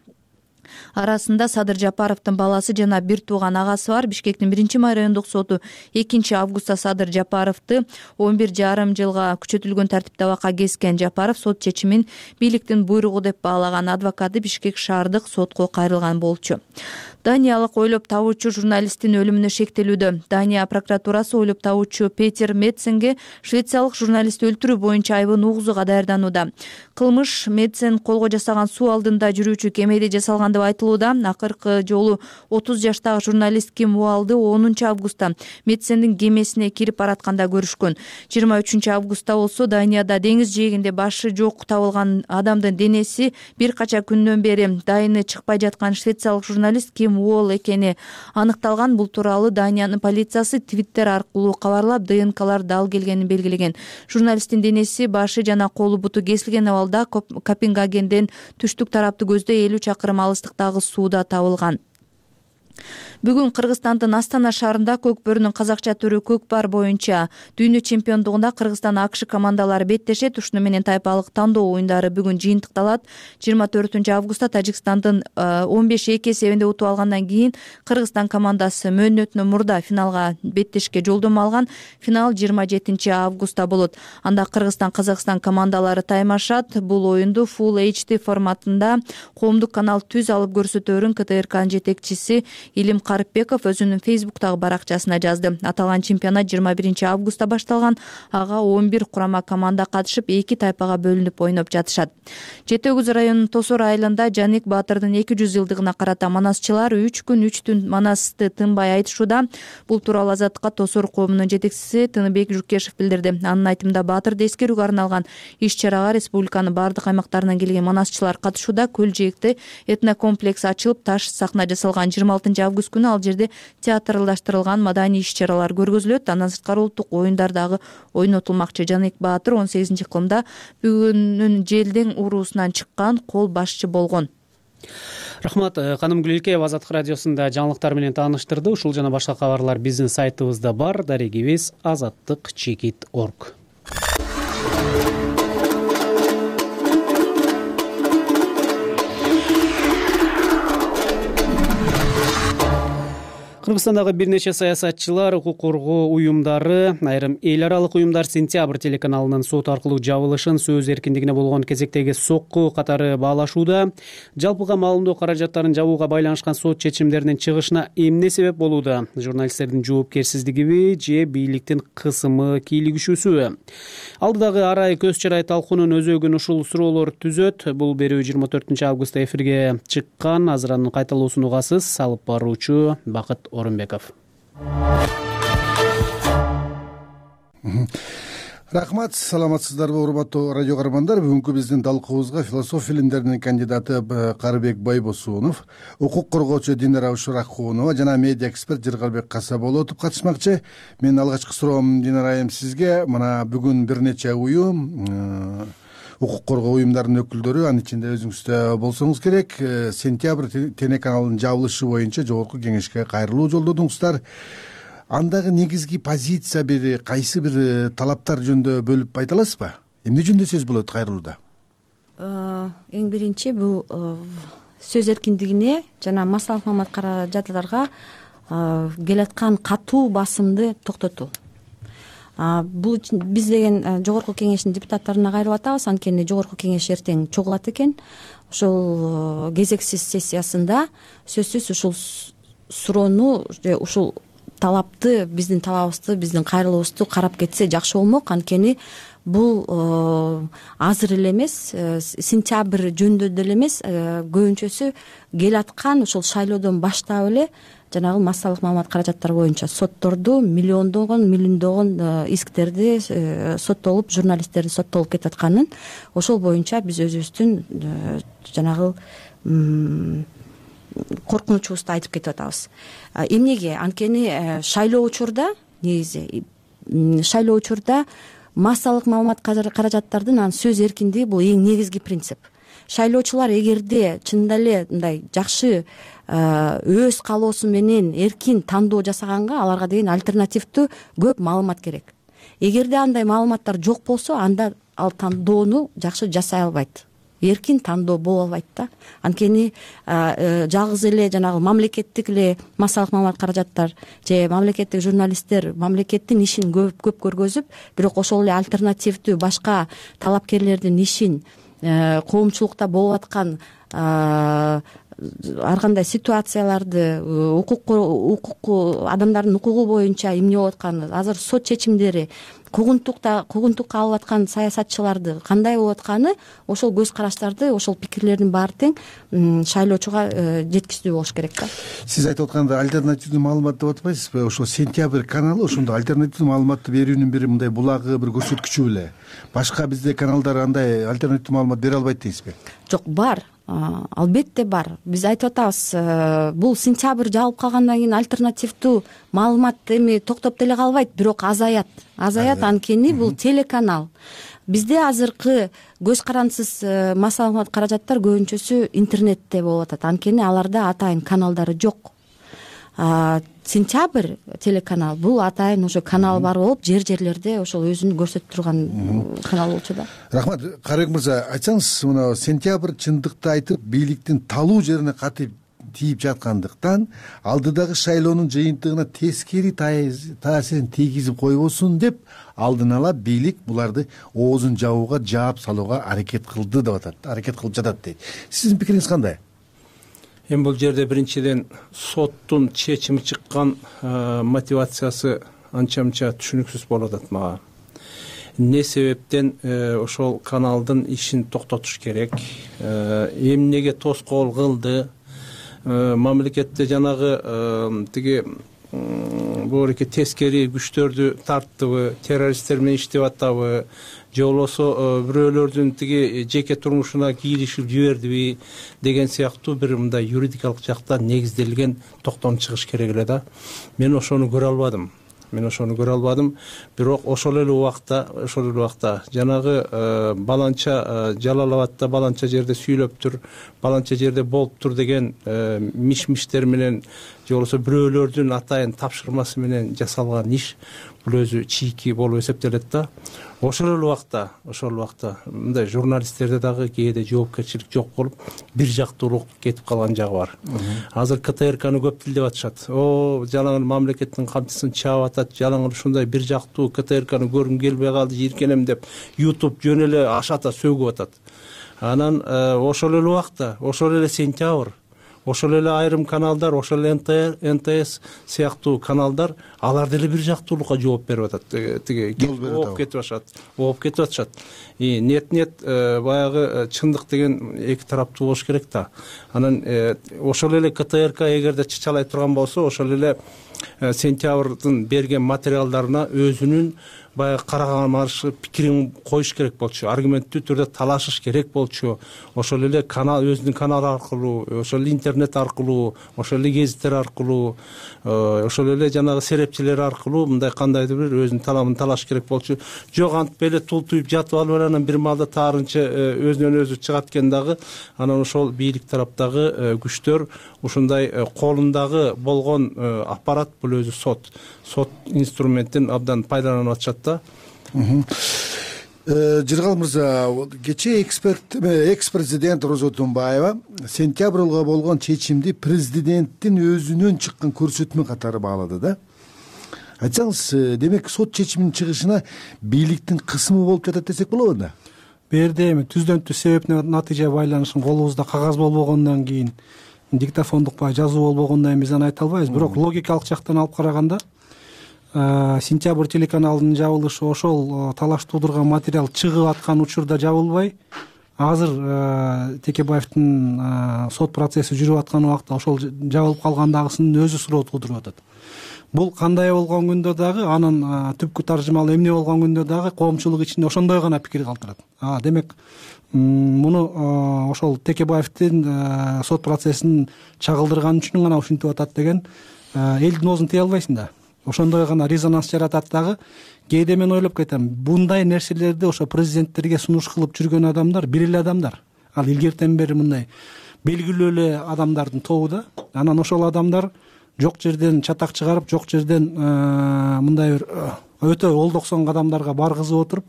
Арасында Садыр Жапаровдун баласы жана бир тууган агасы бар. Бишкектин биринчи май райондук соту экинчи августта Садыр Жапаровду он бир жарым жылга күчөтүлгөн тартипте абакка кескен. Жапаров сот чечимин бийликтин буйругу деп баалаган. Адвокаты Бишкек шаардык сотко кайрылган болчу. Даниялык ойлоп табуучу журналисттин өлүмүнө шектелүүдө. Дания прокуратурасы ойлоп табуучу Петер Медсенге швециялык журналистти өлтүрүү боюнча айбын угузууга даярданууда. Кылмыш Медсен колго жасаган суу алдында жүрүүчү кемеде жасалган деп айтылууда. Акыркы жолу отуз жаштагы журналист Ким Уалды онунчу августта Медсендин кемесине кирип баратканда көрүшкөн. жыйырма үчүнчү августта болсо Данияда деңиз жээгинде башы жок табылган адамдын денеси бир кача күндөн бери дайыны чыкпай жаткан швециялык журналист Ким Уол экени аныкталган. Бул тууралуу Даниянын полициясы Твиттер аркылуу кабарлап, ДНКлар дал келгенин белгилеген. Журналисттин денеси башы жана колу буту кесилген абалда Копенгагенден түштүк тараптуу көздө элүү чакырым алыстыктагы сууда табылган. Бүгүн Кыргызстандын Астана шаарында көк бөрүнүн казакча түрү көкпар боюнча дүйнө чемпиондугунда Кыргызстан АКШ командалары беттешет. Ушуну менен тайпалык тандоо оюндары бүгүн жыйынтыкталат. жыйырма төртүнчү августта Тажикстандын он беш эки эсебинде утуп алгандан кийин Кыргызстан командасы мөөнөтүнөн мурда финалга беттешке жолдомо алган. Финал жыйырма жетинчи августта болот. Анда Кыргызстан Казакстан командалары таймашат. Бул оюнду Full эйч ди форматында коомдук канал түз алып көрсөтөөрүн КТРКнын жетекчиси Илим Карыпбеков өзүнүн Фейсбуктагы баракчасына жазды. Аталган чемпионат жыйырма биринчи августта башталган. Ага он бир курама команда катышып, эки тайпага бөлүнүп ойноп жатышат. Жети Өгүз районунун Тосор айылында Жаник Баатырдын эки жүз жылдыгына карата манасчылар үч күн үч түн манасты тынбай айтышууда. Бул тууралуу Азаттыкка Тосор коомунун жетекчиси Тыныбек Жукешев билдирди. Анын айтымында Баатырды эскерүүгө арналган иш-чарага республиканын бардык аймактарынан келген манасчылар катышууда. Көл жээкте этнокомплекс ачылып, таш сахна жасалган. жыйырма алтынчы август күнү ал жерде театрлаштырылган маданий иш-чаралар көргөзүлөт. Андан сырткары улуттук оюндар дагы ойнотулмакчы. Жаник Баатыр он сегизинчи ыкылымда бүгүнүн желден уруусунан чыккан кол башчы болгон. Рахмат. Каным Гүлөлкеева Азаттык радиосунда жаңылыктар менен тааныштырды. Ушул жана башка кабарлар биздин сайтыбызда бар. Дарегибиз азаттык чекит точка орг. Кыргызстандагы бир нече саясатчылар, укук коргоо уюмдары, айрым эл аралык уюмдар Сентябрь телеканалынын сот аркылуу жабылышын сөз эркиндигине болгон кезектеги сокку катары баалашууда. Жалпыга маалымдоо каражаттарын жабууга байланышкан сот чечимдеринин чыгышына эмне себеп болууда? Журналисттердин жоопкерсиздигиби же бийликтин кысымы кийлигишүүсүбү? Алдыдагы арай көз чарай талкуунун өзөгүн ушул суроолор түзөт. Бул берүү жыйырма төртүнчү августта эфирге чыккан. Азыр анын кайталоосун угасыз. Алып баруучу Бакыт Орунбеков. Рахмат, саламатсыздарбы урматтуу радио каармандар. Бүгүнкү биздин талкуубузга философия илимдеринин кандидаты Карыбек Байбосунов, укук коргоочу Динара Ушуракунова жана медиа эксперт Жыргалбек Касаболотов катышмакчы. Менин алгачкы суроом Динара айым сизге. Мына бүгүн бир нече уюм, укук коргоо уюмдарынын өкүлдөрү, анын ичинде өзүңүз да болсоңуз керек, Сентябрь телеканалынын жабылышы боюнча жогорку кеңешке кайрылуу жолдодуңуздар. Андагы негизги позиция бир кайсы бир талаптар жөнүндө бөлүп айта аласызбы? Эмне жөнүндө сөз болот кайрылууда? Эң биринчи бул сөз эркиндигине жана массалык маалымат каражаттарга келаткан катуу басымды токтотуу. Бул биз деген жогорку кеңештин депутаттарына кайрылып атабыз, анткени жогорку кеңеш эртең чогулат экен. Ошол кезексиз сессиясында сөзсүз ушул суроону же ушул талапты, биздин талабыбызды, биздин кайрылуубузду карап кетсе жакшы болмок. Анткени бул азыр эле эмес, сентябрь жөнүндө деле эмес, көбүнчөсү келаткан ушул шайлоодон баштап эле жанагы массалык маалымат каражаттары боюнча сотторду, миллиондогон, миллиондогон исктерди соттолуп, журналисттердин соттолуп кетип атканын, ошол боюнча биз өзүбүздүн жанагы коркунучубузду айтып кетип атабыз. Эмнеге? Анткени шайлоо учурда, негизи шайлоо учурда массалык маалымат каражаттардын анын сөз эркиндиги бул эң негизги принцип. Шайлоочулар эгерде чынында эле мындай жакшы өз каалоосу менен эркин тандоо жасаганга аларга деген альтернативдүү көп маалымат керек. Эгерде андай маалыматтар жок болсо, анда ал тандоону жакшы жасай албайт. Эркин тандоо боло албайт да. Анткени жалгыз эле жанагы мамлекеттик эле массалык маалымат каражаттар же мамлекеттик журналисттер мамлекеттин ишин көп көп көргөзүп, бирок ошол эле альтернативдүү башка талапкерлердин ишин, коомчулукта болуп аткан ар кандай ситуацияларды, укук укук адамдардын укугу боюнча эмне болуп атканы, азыр сот чечимдери, куугунтукта куугунтукка алып аткан саясатчыларды кандай болуп атканы, ошол көз караштарды, ошол пикирлердин баары тең шайлоочуга жеткизүү болуш керек да. Сиз айтып атканда альтернативдүү маалымат деп атпайсызбы? Ошол Сентябрь каналы ошондо альтернативдүү маалыматты берүүнүн бир мындай булагы, бир көрсөткүчү беле. Башка бизде каналдар андай альтернативдүү маалымат бере албайт дейсизби? Жок, бар. Албетте бар. Биз айтып атабыз, бул сентябрь жабылып калгандан кийин альтернативдүү маалымат эми токтоп деле калбайт, бирок азаят. Азаят, анткени бул телеканал. Бизде азыркы көз карандысыз массалык каражаттар көбүнчөсү интернетте болуп атат. Анткени аларда атайын каналдары жок. Сентябрь телеканал бул атайын ошо канал бар болуп, жер-жерлерде ошол өзүн көрсөтүп турган канал болчу да. Рахмат. Карыбек мырза, айтсаңыз, мына Сентябрь чындыкты айтып, бийликтин талуу жерине катып тийип жаткандыктан алдыдагы шайлоонун жыйынтыгына тескери таасирин тийгизип койбосун деп алдын ала бийлик буларды оозун жабууга, жаап салууга аракет кылды деп атат, аракет кылып жатат дейт. Сиздин пикириңиз кандай? эми бул жерде биринчиден соттун чечими чыккан мотивациясы анча мынча түшүнүксүз болуп атат мага. Эмне себептен ошол каналдын ишин токтотуш керек, эмнеге тоскоол кылды, мамлекетте жанагы тиги бууреке тескери күчтөрдү тарттыбы, террористтер менен иштеп атабы, же болбосо бирөөлөрдүн тиги жеке турмушуна кийлишип жибердиби деген сыяктуу бир мындай юридикалык жактан негизделген токтом чыгыш керек эле да. Мен ошону көрө албадым. Мен ошону көрө албадым. Бирок ошол эле убакта, ошол эле убакта жанагы баланча Жалал Абадта баланча жерде сүйлөптүр, баланча жерде болуптур деген миш-миштер менен же болбосо бирөөлөрдүн атайын тапшырмасы менен жасалган иш бул өзү чийки болуп эсептелет да. Ошол эле убакта, ошол убакта мындай журналисттерде дагы кээде жоопкерчилик жок болуп, бир жактуулук кетип калган жагы бар. Азыр КТРКны көп тилдеп атышат. О, жалаң эле мамлекеттин камчысын чаап атат, жалаң эле ушундай бир жактуу КТРКны көргүм келбей калды, жийиркенем деп YouTube жөн эле ашата сөгүп атат. Анан ошол эле убакта, ошол эле сентябрь, ошол эле айрым каналдар, ошол эле эн тэ эс сыяктуу каналдар алар деле бир жактуулукка жооп берип атат. Тиги ооп кетип атышат, ооп кетип атышат. И нет-нет баягы чындык деген эки тараптуу болуш керек да. Анан ошол эле КТРК эгерде чычалай турган болсо, ошол эле сентябрдын берген материалдарына өзүнүн баягы карама-каршы пикирин коюш керек болчу, аргументтүү түрдө талашыш керек болчу. Ошол эле канал, өзүнүн каналы аркылуу, ошол эле интернет аркылуу, ошол эле гезиттер аркылуу, ошол эле жанагы серепчилер аркылуу мындай кандайдыр бир өзүнүн таламын талаш керек болчу. Жок, антип эле тултуюп жатып алып анан бир маалда таарынча өзүнөн өзү чыгат экен дагы. Анан ошол бийлик тараптагы күчтөр ушундай колундагы болгон аппарат, бул өзү сот, сот инструментин абдан пайдаланып атышат да. Жыргал мырза, кечээ эксперт экс-президент Роза Отунбаева сентябрга болгон чечимди президенттин өзүнөн чыккан көрсөтмө катары баалады да. Айтсаңыз, демек сот чечиминин чыгышына бийликтин кысымы болуп жатат десек болобу да? Бу жерде эми түздөн түз себеп натыйжа байланышын колубузда кагаз болбогондон кийин, диктофондук баягы жазуу болбогондон кийин биз аны айта албайбыз. Бирок логикалык жактан алып караганда сентябрь телеканалынын жабылышы ошол талаш туудурган материал чыгып аткан учурда жабылбай, азыр Текебаевдин сот процесси жүрүп аткан убакта ошол жабылып калгандагысынын өзү суроо туудуруп атат. Бул кандай болгон күндө дагы, анын түпкү таржымалы эмне болгон күндө дагы коомчулук ичинде ошондой гана пикир калтырат. А демек муну ошол Текебаевдин сот процессин чагылдырган үчүн гана ушинтип атат деген элдин оозун тыя албайсың да. Ошондой гана резонанс жаратат дагы. Кээде мен ойлоп кетем, мындай нерселерди ошо президенттерге сунуш кылып жүргөн адамдар бир эле адамдар. Ал илгертен бери мындай белгилүү эле адамдардын тобу да. Анан ошол адамдар жок жерден чатак чыгарып, жок жерден мындай бир өтө олдоксон кадамдарга баргызып отуруп,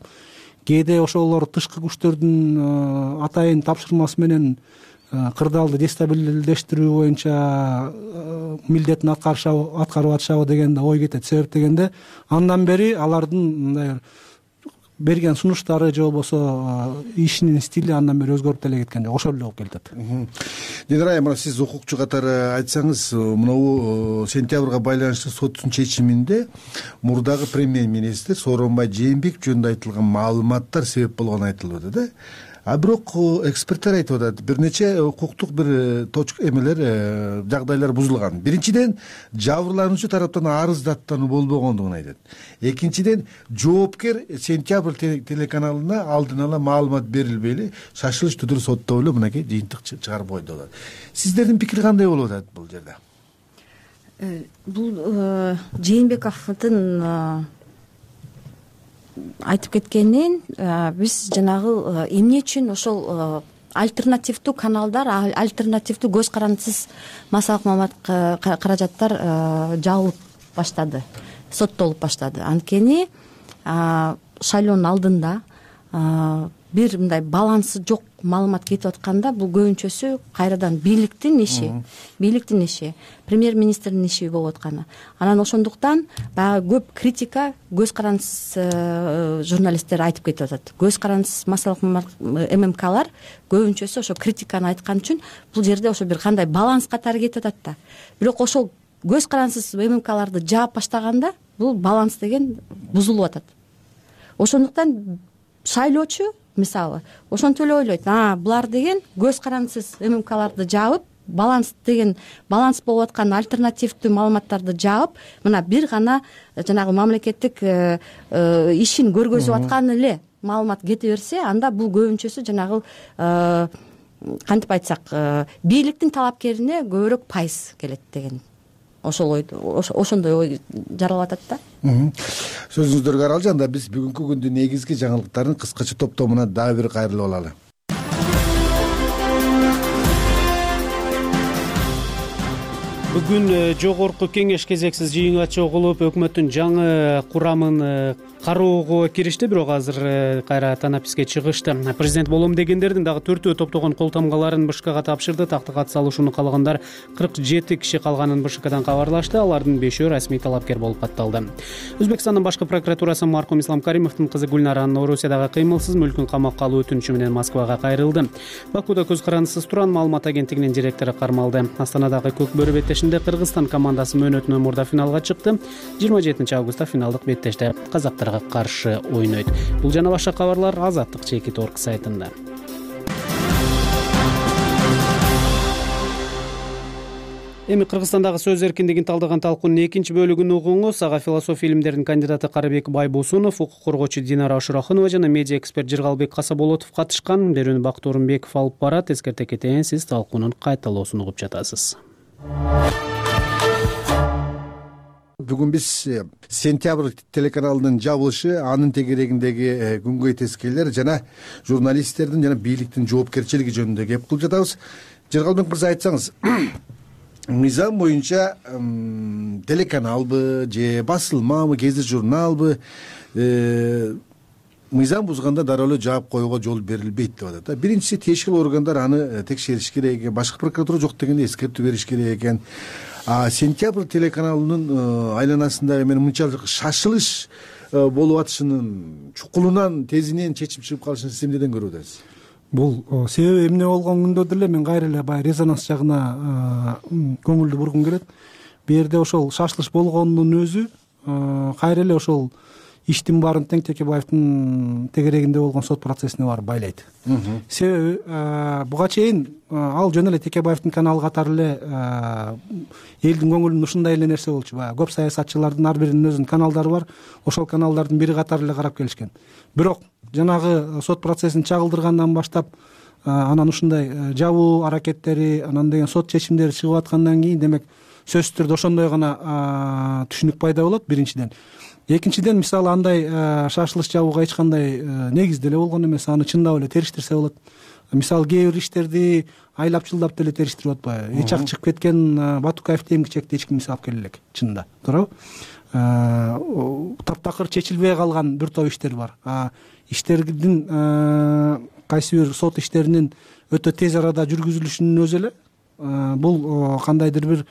кээде ошолор тышкы күчтөрдүн атайын тапшырмасы менен кырдаалды дестабилдештирүү боюнча милдетин аткарып атышабы деген да ой кетет. Себеп дегенде андан бери алардын мындай берген сунуштары же болбосо ишинин стили андан бери өзгөрүп деле кеткен жок. Ошол эле болуп келатат. Динара айым, сиз укукчу катары айтсаңыз, мынабу сентябрга байланыштуу соттун чечиминде мурдагы премьер-министр Сооронбай Жээнбеков жөнүндө айтылган маалыматтар себеп болгону айтылып атат да. А бирок эксперттер айтып атат, бир нече укуктук бир точка эмелер, жагдайлар бузулган. Биринчиден, жабырлануучу тараптан арыз даттануу болбогондугун айтат. Экинчиден, жоопкер сентябрь телеканалына алдын ала маалымат берилбей эле шашылыш түрдө соттоп эле мынакей жыйынтык чыгарып койду алат. Сиздердин пикир кандай болуп атат бул жерде? Бул Жээнбековдун айтып кеткенин биз жанагы эмне үчүн ошол альтернативдүү каналдар, альтернативдүү көз карандысыз массалык маалымат каражаттар жабылып баштады, соттолуп баштады. Анткени шайлоонун алдында бир мындай балансы жок маалымат кетип атканда бул көбүнчөсү кайрадан бийликтин иши бийликтин иши премьер министрдин иши болуп атканы. Анан ошондуктан баягы көп критика көз карандысыз журналисттер айтып кетип атат. Көз карандысыз массалык ММКлар көбүнчөсү ошо критиканы айткан үчүн бул жерде ошо бир кандай баланс катары кетип атат да. Бирок ошол көз карандысыз ММКларды жаап баштаганда бул баланс деген бузулуп атат. Ошондуктан шайлоочу мисалы ошентип эле ойлойт, а булар деген көз карандысыз ММКларды жаап, баланс деген баланс болуп аткан альтернативдүү маалыматтарды жаап, мына бир гана жанагы мамлекеттик ишин көргөзүп аткан эле маалымат кете берсе, анда бул көбүнчөсү жанагы кантип айтсак, бийликтин талапкерине көбүрөөк пайыз келет деген ошол ой ошондой ой жаралып атат да. Сөзүңүздөргө аралжы, анда биз бүгүнкү күндүн негизги жаңылыктарын кыскача топтомуна дагы бир кайрылып алалы. Бүгүн жогорку кеңеш кезексиз жыйынга чогулуп, өкмөттүн жаңы курамын кароого киришти, бирок азыр кайра танаписке чыгышты. Президент болом дегендердин дагы төртөө топтогон кол тамгаларын БШКга тапшырды. Такты катыса алышууну каалагандар кырк жети киши калганын БШКдан кабарлашты. Алардын бешөө расмий талапкер болуп катталды. Өзбекстандын башкы прокуратурасы маркум Ислам Каримовдун кызы Гүлнаранын Орусиядагы кыймылсыз мүлкүн камакка алуу өтүнүчү менен Москвага кайрылды. Бакуда көз карандысыз туран маалымат агенттигинин директору кармалды. Астанадагы Көк бөрү беттешинде Кыргызстан командасы мөөнөтүнөн мурда финалга чыкты. жыйырма жетинчи августта финалдык беттеште казактарга каршы ойнойт. Бул жана башка кабарлар Азаттык чекит орг сайтында. Эми Кыргызстандагы сөз эркиндигин талдаган талкуунун экинчи бөлүгүн угуңуз. Ага философия илимдеринин кандидаты Карыбек Байбосунов, укук коргоочу Динара Ошурахунова жана медиа эксперт Жыргалбек Касаболотов катышкан. Берүүнү Бактуу Орунбеков алып барат. Эскерте кетейин, сиз талкуунун кайталоосун угуп жатасыз. Бүгүн биз Сентябрь телеканалынын жабылышы, анын тегерегиндеги күнгөй тескейлер жана журналисттердин жана бийликтин жоопкерчилиги жөнүндө кеп кылып жатабыз. Жыргалбек мырза, айтсаңыз, мыйзам боюнча телеканалбы же басылмабы, гезит журналбы мыйзам бузганда дароо эле жаап коюуга жол берилбейт деп атат. Биринчиси, тиешелүү органдар аны текшериш керек экен, башкы прокуратура жок дегенде эскертүү бериш керек экен. А Сентябрь телеканалынын айланасында эми мынчалык шашылыш болуп атышынын чукулунан, тезинен чечим чыгып калышын сиз эмнеден көрүп атасыз? Бул себеби эмне болгон күндө деле мен кайра эле баягы резонанс жагына көңүлдү бургум келет. Бу жерде ошол шашылыш болгонунун өзү кайра эле ошол иштин баарын Тең Текебаевдин тегерегинде болгон сот процессине барып байлайт. Себеби буга чейин ал жөн эле Текебаевдин каналы катары эле элдин көңүлүндө ушундай эле нерсе болчу. Баягы көп саясатчылардын ар биринин өзүнүн каналдары бар. Ошол каналдардын бири катары эле карап келишкен. Бирок жанагы сот процессин чагылдыргандан баштап анан ушундай жабуу аракеттери, анан деген сот чечимдери чыгып аткандан кийин, демек сөзсүз түрдө ошондой гана түшүнүк пайда болот биринчиден. Экинчиден, мисалы, андай шашылыш жабууга эч кандай негиз деле болгон эмес, аны чындап эле териштирсе болот. Мисалы, кээ бир иштерди айлап жылдап деле териштирип атпайбы? Эч ак чыгып кеткен Батукаевди эмгичекти эч ким алып келе элек, чынында, туурабы? Таптакыр чечилбей калган бир топ иштер бар. Иштердин кайсы бир сот иштеринин өтө тез арада жүргүзүлүшүнүн өзү эле бул кандайдыр бир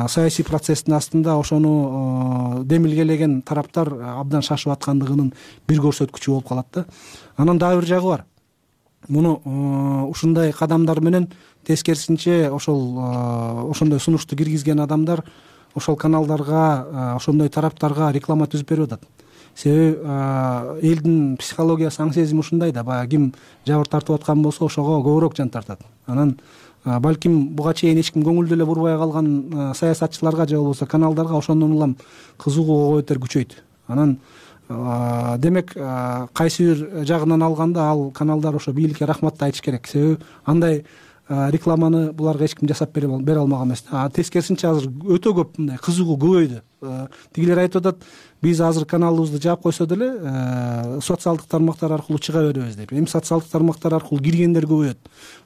саясий процесстин астында ошону демилгелеген тараптар абдан шашып аткандыгынын бир көрсөткүчү болуп калат да. Анан дагы бир жагы бар. Муну ушундай кадамдар менен тескерисинче ошол ошондой сунушту киргизген адамдар ошол каналдарга, ошондой тараптарга реклама түзүп берип атат. Себеби элдин психологиясы, аң сезими ушундай да, баягы ким жабыр тартып аткан болсо ошого көбүрөөк жан тартат. Анан балким буга чейин эч ким көңүлдү эле бурбай калган саясатчыларга же болбосо каналдарга ошондон улам кызыгуу өтөр күчөйт. Анан демек кайсы бир жагынан алганда ал каналдар ошо бийликке рахматты айтыш керек. Себеби андай рекламаны буларга эч ким жасап бере алмаган эмес. Тескерисинче азыр өтө көп мындай кызыгуу көбөйдү. Тигилер айтып атат, биз азыр каналыбызды жаап койсо деле социалдык тармактар аркылуу чыга беребиз деп. Эми социалдык тармактар аркылуу киргендер көбөйөт.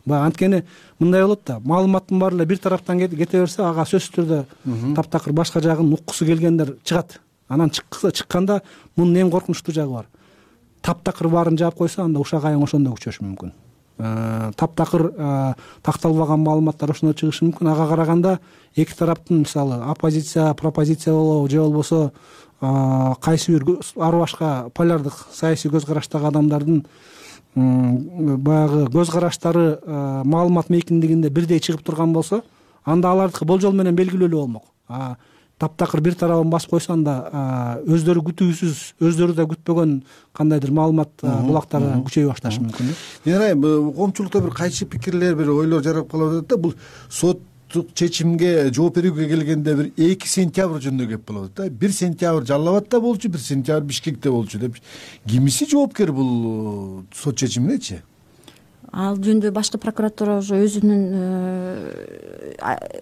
Баягы анткени мындай болот да, маалыматтын баары эле бир тараптан кете берсе, ага сөзсүз түрдө таптакыр башка жагын уккусу келгендер чыгат. Анан чыкканда мунун эң коркунучтуу жагы бар. таптакыр баарын жаап койсо анда ушак айың ошондо күчөшү мүмкүн. Таптакыр такталбаган маалыматтар ошондо чыгышы мүмкүн. Ага караганда эки тараптын мисалы оппозиция пропозиция болобу же болбосо кайсы бир ар башка полярдык саясий көз караштагы адамдардын баягы көз караштары маалымат мейкиндигинде бирдей чыгып турган болсо, анда алардыкы болжол менен белгилүүлүү болмок. Таптакыр бир тарабын басып койсо, анда өздөрү күтүүсүз, өздөрү да күтпөгөн кандайдыр маалымат булактары күчөйө башташы мүмкүн. Мен айм коомчулукта бир кайчы пикирлер, бир ойлор жарап калып атат да, бул соттук чечимге жооп берүүгө келгенде бир эки сентябрь жөнүндө кеп болуп атат да. бир сентябрь Жалал Абадта болчу, бир сентябрь Бишкекте болчу деп. Кимиси жоопкер бул сот чечиминечи? Ал жөнүндө башкы прокуратура уже өзүнүн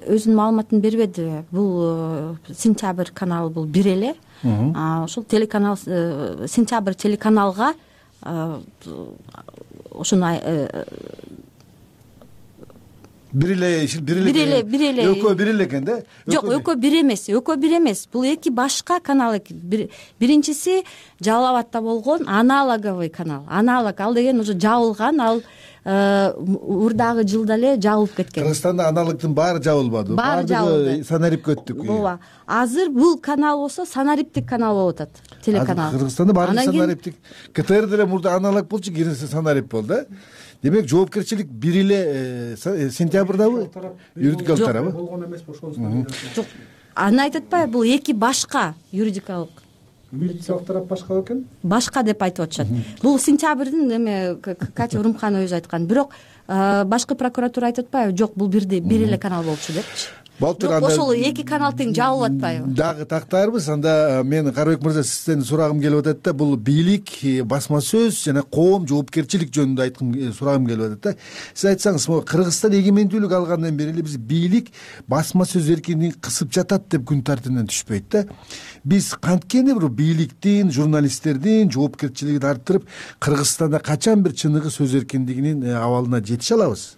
өзүнүн маалыматын бербеди. Бул Сентябрь каналы бул бир эле. Ошол телеканал Сентябрь телеканалга ошону бир эле бир эле бир эле экөө бир эле экен да? Жок, экөө бир эмес, экөө бир эмес. Бул эки башка канал экен. Биринчиси Жалал Абадта болгон аналоговый канал. Аналог ал деген уже жабылган, ал урдагы жылда эле жабылып кеткен. Кыргызстанда аналогдун баары жабылбады. Баардыгы санарип өттүк. Ооба. Азыр бул канал болсо санариптик канал болуп атат, телеканал. Кыргызстанда баары санариптик. КТР деле мурда аналог болчу, кийин санарип болду да. Демек жоопкерчилик бир эле сентябрдабы? Юридикалык тарабы болгон эмеспи ошонусу? Жок. Аны айтып атпайбы, бул эки башка юридикалык. Юридикалык тарап башка экен? Башка деп айтып атышат. Бул сентябрдын эме Катя Урумханова өзү айткан. Бирок башкы прокуратура айтып атпайбы? Жок, бул бирдей бир эле канал болчу депчи. Жок, ошол эки канал тең жабылып атпайбы? Дагы тактаарбыз. Анда мен Карабек мырза, сизден сурагым келип атат да, бул бийлик, басма сөз жана коом жоопкерчилик жөнүндө айткым сурагым келип атат да. Сиз айтсаңыз, Кыргызстан эгемендүүлүк алгандан бери эле биз бийлик басма сөз эркиндигин кысып жатат деп күн тартибинен түшпөйт да. Биз канткени бир бийликтин, журналисттердин жоопкерчилигин арттырып, Кыргызстанда качан бир чыныгы сөз эркиндигинин абалына жетише алабыз?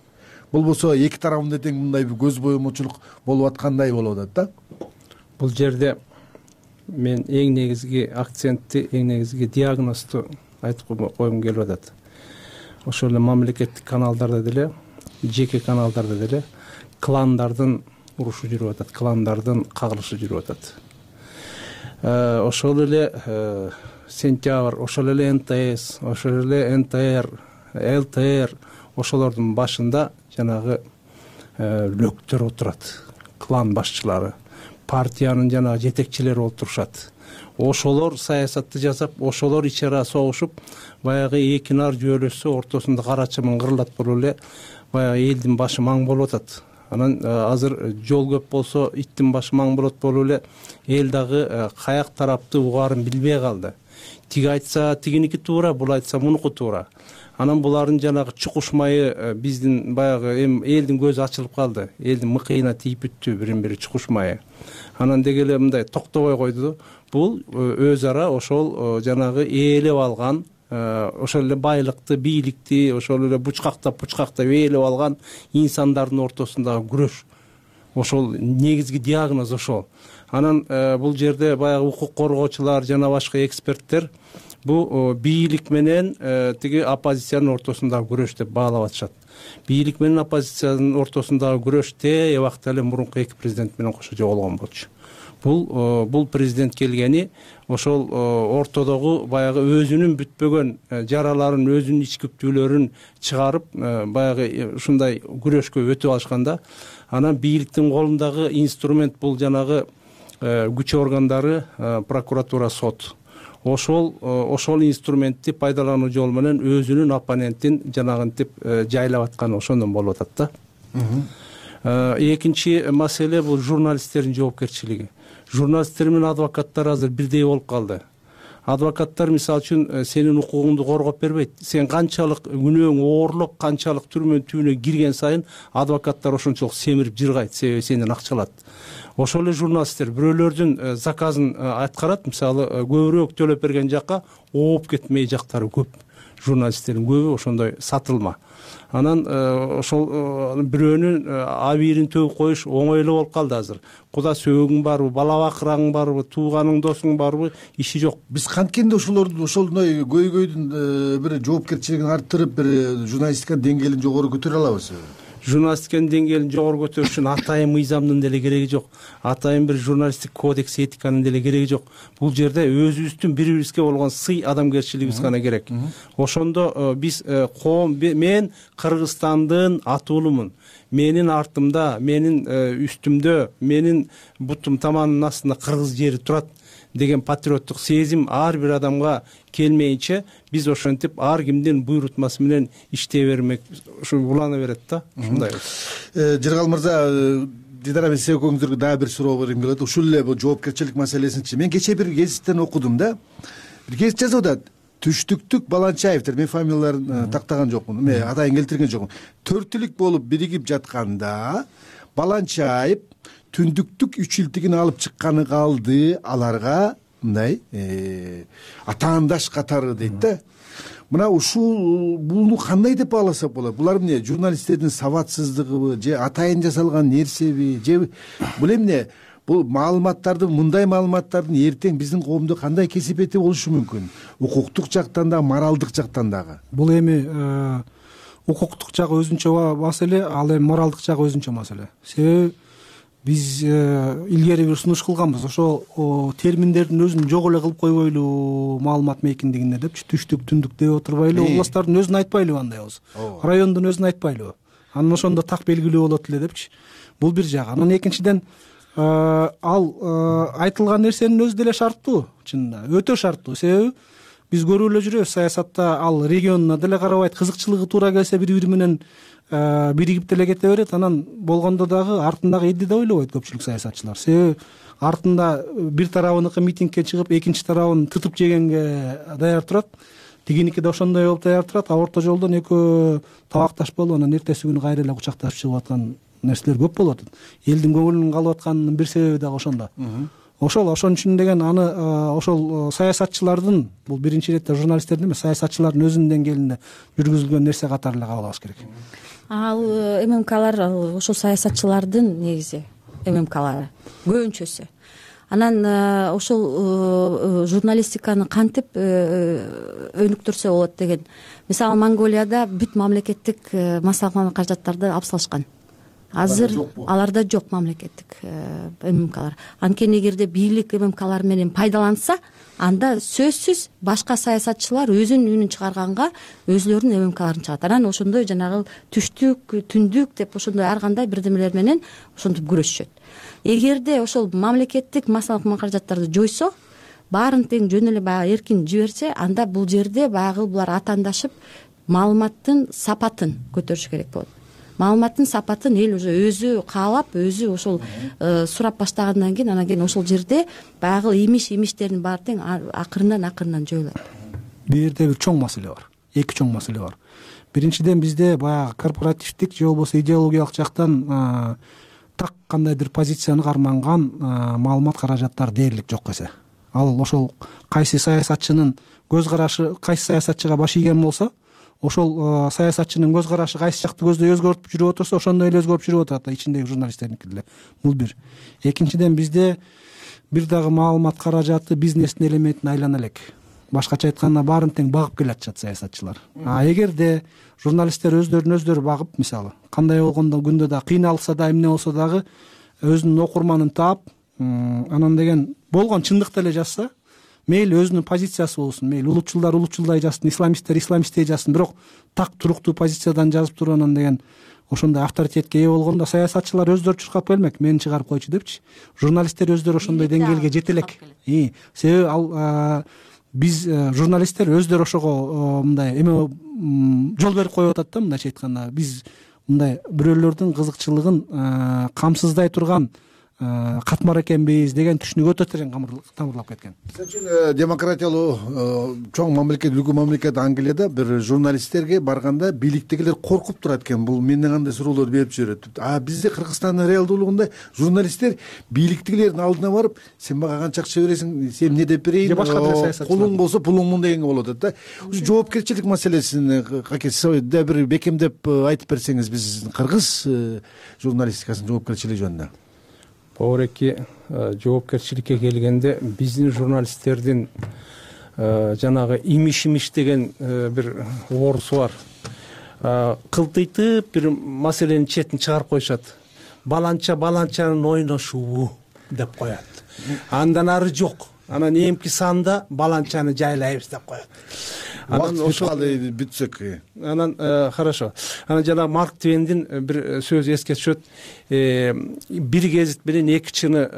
Болбосо эки тарабында тең мындай бир көз боемочулук болуп аткандай болуп атат да. Бул жерде мен эң негизги акцентти, эң негизги диагнозду айтып койгум келип атат. Ошол эле мамлекеттик каналдарда деле, жеке каналдарда деле кландардын урушу жүрүп атат, кландардын кагылышы жүрүп атат. Ошол эле Сентябрь, ошол эле эн тэ эс, ошол эле эн тэ эр, эл тэ эр, ошолордун башында жанагы лөктөр отурат, клан башчылары, партиянын жанагы жетекчилери отурушат. Ошолор саясатты жасап, ошолор ичара согушуп, баягы эки нар жүйөлөшсө ортосунда кара чымын кырылат болуп эле баягы элдин башы маң болуп атат. Анан азыр жол көп болсо иттин башы маң болот болуп эле эл дагы каяк тарапты угаарын билбей калды. Тиги айтса тигиники туура, бул айтса мунуку туура. Анан булардын жанагы чукушмайы биздин баягы эми элдин көзү ачылып калды. Элдин мыкыйына тийип бүттү бирин-бири чукушмайы. Анан деги эле мындай токтобой койду. Бул өз ара ошол жанагы ээлеп алган, ошол эле байлыкты, бийликти, ошол эле бучкактап бучкактап ээлеп алган инсандардын ортосундагы күрөш. Ошол негизги диагноз ошол. Анан бул жерде баягы укук коргоочулар жана башка эксперттер бул бийлик менен тиги оппозициянын ортосундагы күрөш деп баалап атышат. Бийлик менен оппозициянын ортосундагы күрөштө убакта эле мурунку эки президент менен кошо жоголгон болчу. Бул бул президент келгени ошол ортодогу баягы өзүнүн бүтпөгөн жараларын, өзүнүн ич күптүүлөрүн чыгарып, баягы ушундай күрөшкө өтүп алышканда, анан бийликтин колундагы инструмент бул жанагы күч органдары, прокуратура, сот. Ошол ошол инструментти пайдалануу жолу менен өзүнүн оппонентин жанагынтип жайлап атканы ошондон болуп атат да. Экинчи маселе бул журналисттердин жоопкерчилиги. Журналисттер менен адвокаттар азыр бирдей болуп калды. Адвокаттар мисалы үчүн сенин укугуңду коргоп бербейт. Сен канчалык күнөөң оорлоп, канчалык түрмөнүн түбүнө кирген сайын адвокаттар ошончолук семирип жыргайт, себеби сенден акча алат. Ошол эле журналисттер бирөөлөрдүн заказын аткарат, мисалы көбүрөөк төлөп берген жакка ооп кетмей жактары көп. журналисттердин көбү ошондой сатылма. Анан ошол бирөөнүн абийирин төгүп коюш оңойлуу болуп калды азыр. Куда сөөгүң барбы, бала бакыраң барбы, тууганың досуң барбы, иши жок. Биз канткенде ошолордун ошондой көйгөйдүн бир жоопкерчилигин арттырып, бир журналистиканын деңгээлин жогору көтөрө алабыз. Журналистиканын деңгээлин жогору көтөрүш үчүн атайын мыйзамдын деле кереги жок. Атайын бир журналисттик кодекс, этиканын деле кереги жок. Бул жерде өзүбүздүн бири бирибизге болгон сый, адамгерчилигибиз гана керек. Ошондо биз коом, мен Кыргызстандын атуулумун. Менин артымда, менин үстүмдө, менин бутум таманымдын астында кыргыз жери турат деген патриоттук сезим ар бир адамга келмейинче биз ошентип ар кимдин буйрутмасы менен иштей бермек, ушу улана берет да. Ушундай. Жыргал мырза, Дидара, мен сиз экөөңүздөргө дагы бир суроо бергим келет. Ушул эле бул жоопкерчилик маселесинчи. Мен кечээ бир гезиттен окудум да. Бир гезит жазып атат. Түштүктүк Баланчаевдер, мен фамилияларын тактаган жокмун, мен атайын келтирген жокмун. Төртүлүк болуп биригип жатканда Баланчаев түндүктүк үчүлтүгүн алып чыкканы калды, аларга мындай атаандаш катары дейт да. Мына ушул буну кандай деп бааласак болот? Булар эмне, журналисттердин сабатсыздыгыбы, же атайын жасалган нерсеби, же бул эмне? Бул маалыматтарды, мындай маалыматтардын эртең биздин коомдо кандай кесепети болушу мүмкүн? Укуктук жактан да, моралдык жактан дагы. Бул эми укуктук жагы өзүнчө маселе, ал эми моралдык жагы өзүнчө маселе. Себеби биз илгери бир сунуш кылганбыз. Ошо терминдердин өзүн жок эле кылып койбойлу маалымат мейкиндигинде депчи, түштүк, түндүк деп отурбайлы, областтардын өзүн айтпайлыбы андай болсо? Райондун өзүн айтпайлыбы? Анан ошондо так белгилүү болот эле депчи. Бул бир жагы. Анан экинчиден ал айтылган нерсенин өзү деле шарттуу, чынында өтө шарттуу. Себеби биз көрүп эле жүрөбүз, саясатта ал регионуна деле карабайт, кызыкчылыгы туура келсе бири бири менен биригип деле кете берет. Анан болгондо дагы артындагы элди да ойлобойт көпчүлүк саясатчылар. Себеби артында бир тарабыныкы митингке чыгып, экинчи тарабын тытып жегенге даяр турат. Тигиники да ошондой болуп даяр турат. А орто жолдон экөө табакташ болуп, анан эртеси күнү кайра эле кучакташып чыгып аткан нерселер көп болуп атат. Элдин көңүлүнүн калып атканынын бир себеби дагы ошондо. Ошол ошон үчүн деген аны ошол саясатчылардын, бул биринчи иретте журналисттердин эмес, саясатчылардын өзүнүн деңгээлинде жүргүзүлгөн нерсе катары эле кабыл алыш керек. Ал ММКлар ошол саясатчылардын негизи ММКлары көбүнчөсү. Анан ошол журналистиканы кантип өнүктүрсө болот деген. Мисалы Монголияда бүт мамлекеттик массалык каражаттарды алып салышкан. Азыр аларда жок мамлекеттик ММКлар. Анткени эгерде бийлик ММКлар менен пайдаланса, анда сөзсүз башка саясатчылар өзүнүн үнүн чыгарганга өзүлөрүнүн ММКларын чыгат. Анан ошондой жанагы түштүк, түндүк деп ошондой ар кандай бирдемелер менен ошентип күрөшүшөт. Эгерде ошол мамлекеттик массалык каражаттарды жойсо, баарын тең жөн эле баягы эркин жиберсе, анда бул жерде баягы булар атаандашып маалыматтын сапатын көтөрүш керек болот. Маалыматтын сапатын эл уже өзү каалап, өзү ошол сурап баштагандан кийин, анан кийин ошол жерде баягы имиш-имиштердин баары тең акырындан акырындан жоюлат. Бул жерде бир чоң маселе бар. Эки чоң маселе бар. Биринчиден бизде баягы корпоративдик же болбосо идеологиялык жактан так кандайдыр позицияны карманган маалымат каражаттар дээрлик жок эсе. Ал ошол кайсы саясатчынын көз карашы, кайсы саясатчыга баш ийген болсо, ошол саясатчынын көз карашы кайсы жакты көздөй өзгөртүп жүрүп отурса, ошондой эле өзгөрүп жүрүп атат да ичиндеги журналисттердики деле. Бул бир. Экинчиден бизде бир дагы маалымат каражаты бизнестин элементине айлана элек. Башкача айтканда баарын тең багып келатышат саясатчылар. А эгерде журналисттер өздөрүн өздөрү багып, мисалы, кандай болгондо күндө да кыйналса да, эмне болсо дагы өзүнүн окурманын таап, анан деген болгон чындыкты эле жазса, мейли өзүнүн позициясы болсун, мейли улутчулдар улутчулдай жазсын, исламисттер исламисттей жазсын, бирок так туруктуу позициядан жазып туруп анан деген ошондой авторитетке ээ болгондо саясатчылар өздөрү чуркап келмек, мени чыгарып койчу депчи. Журналисттер өздөрү ошондой деңгээлге жете элек. Себеби ал биз журналисттер өздөрү ошого мындай эме жол берип коюп атат да, мындайча айтканда. Биз мындай бирөөлөрдүн кызыкчылыгын камсыздай турган катмар экенбиз деген түшүнүк өтө терең тамырлап кеткен. Мисалы үчүн демократиялуу чоң мамлекет, үлгү мамлекет Англияда бир журналисттерге барганда бийликтегилер коркуп турат экен. Бул менден кандай суроолор берип жүрөт. А бизде Кыргызстандын реалдуулугунда журналисттер бийликтегилердин алдына барып, сен мага канча акча бересиң, сен эмне деп берейин, пулуң болсо пулуңмун дегенге болот да. Ушу жоопкерчилик маселесин каке да бир бекемдеп айтып берсеңиз, биз кыргыз журналистикасынын жоопкерчилиги жөнүндө. Поореки жоопкерчиликке келгенде биздин журналисттердин жанагы имиш-имиш деген бир оорусу бар. Кылтыйтып бир маселенин четин чыгарып коюшат. Баланча баланчанын ойношуу деп коет. Андан ары жок. Анан эмки санда баланчаны жайлайбыз деп коет. Анан ошол бүтсөк. Анан хорошо. Анан жана Марк Твендин бир сөзү эске түшөт. Бир гезит менен эки чыны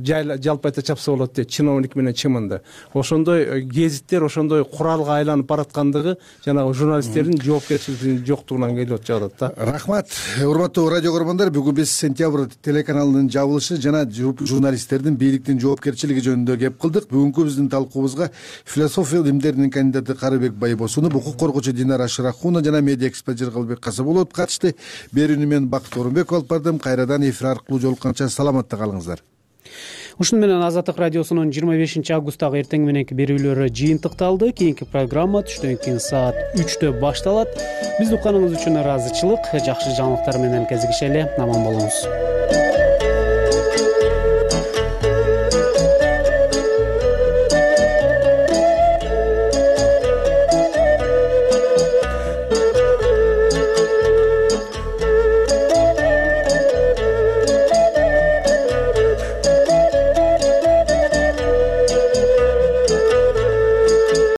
жалпы айта чапса болот дейт, чиновник менен чымынды. Ошондой гезиттер ошондой куралга айланып бараткандыгы жанагы журналисттердин жоопкерчилигинин жоктугунан келип жатат да. Рахмат. Урматтуу радио көрөрмандар, бүгүн биз Сентябрь телеканалынын жабылышы жана журналисттердин бийликтин жоопкерчилиги жөнүндө кеп кылдык. Бүгүнкү биздин талкуубузга философия илимдеринин кандидаты Карыбек Байбосунов, укук коргоочу Динара Шырахунова жана медиа эксперт Жыргалбек Касабулов катышты. Берүүнү мен Бакыт Орунбеков алып бардым. Кайрадан эфир аркылуу жолукканча саламатта калыңыздар. Ушуну менен Азаттык радиосунун жыйырма бешинчи августтагы эртең мененки берүүлөрү жыйынтыкталды. Кийинки программа түштөн кийин саат үчтө башталат. Бизди укканыңыз үчүн ыраазычылык. Жакшы жаңылыктар менен кезигишели. Аман болуңуз.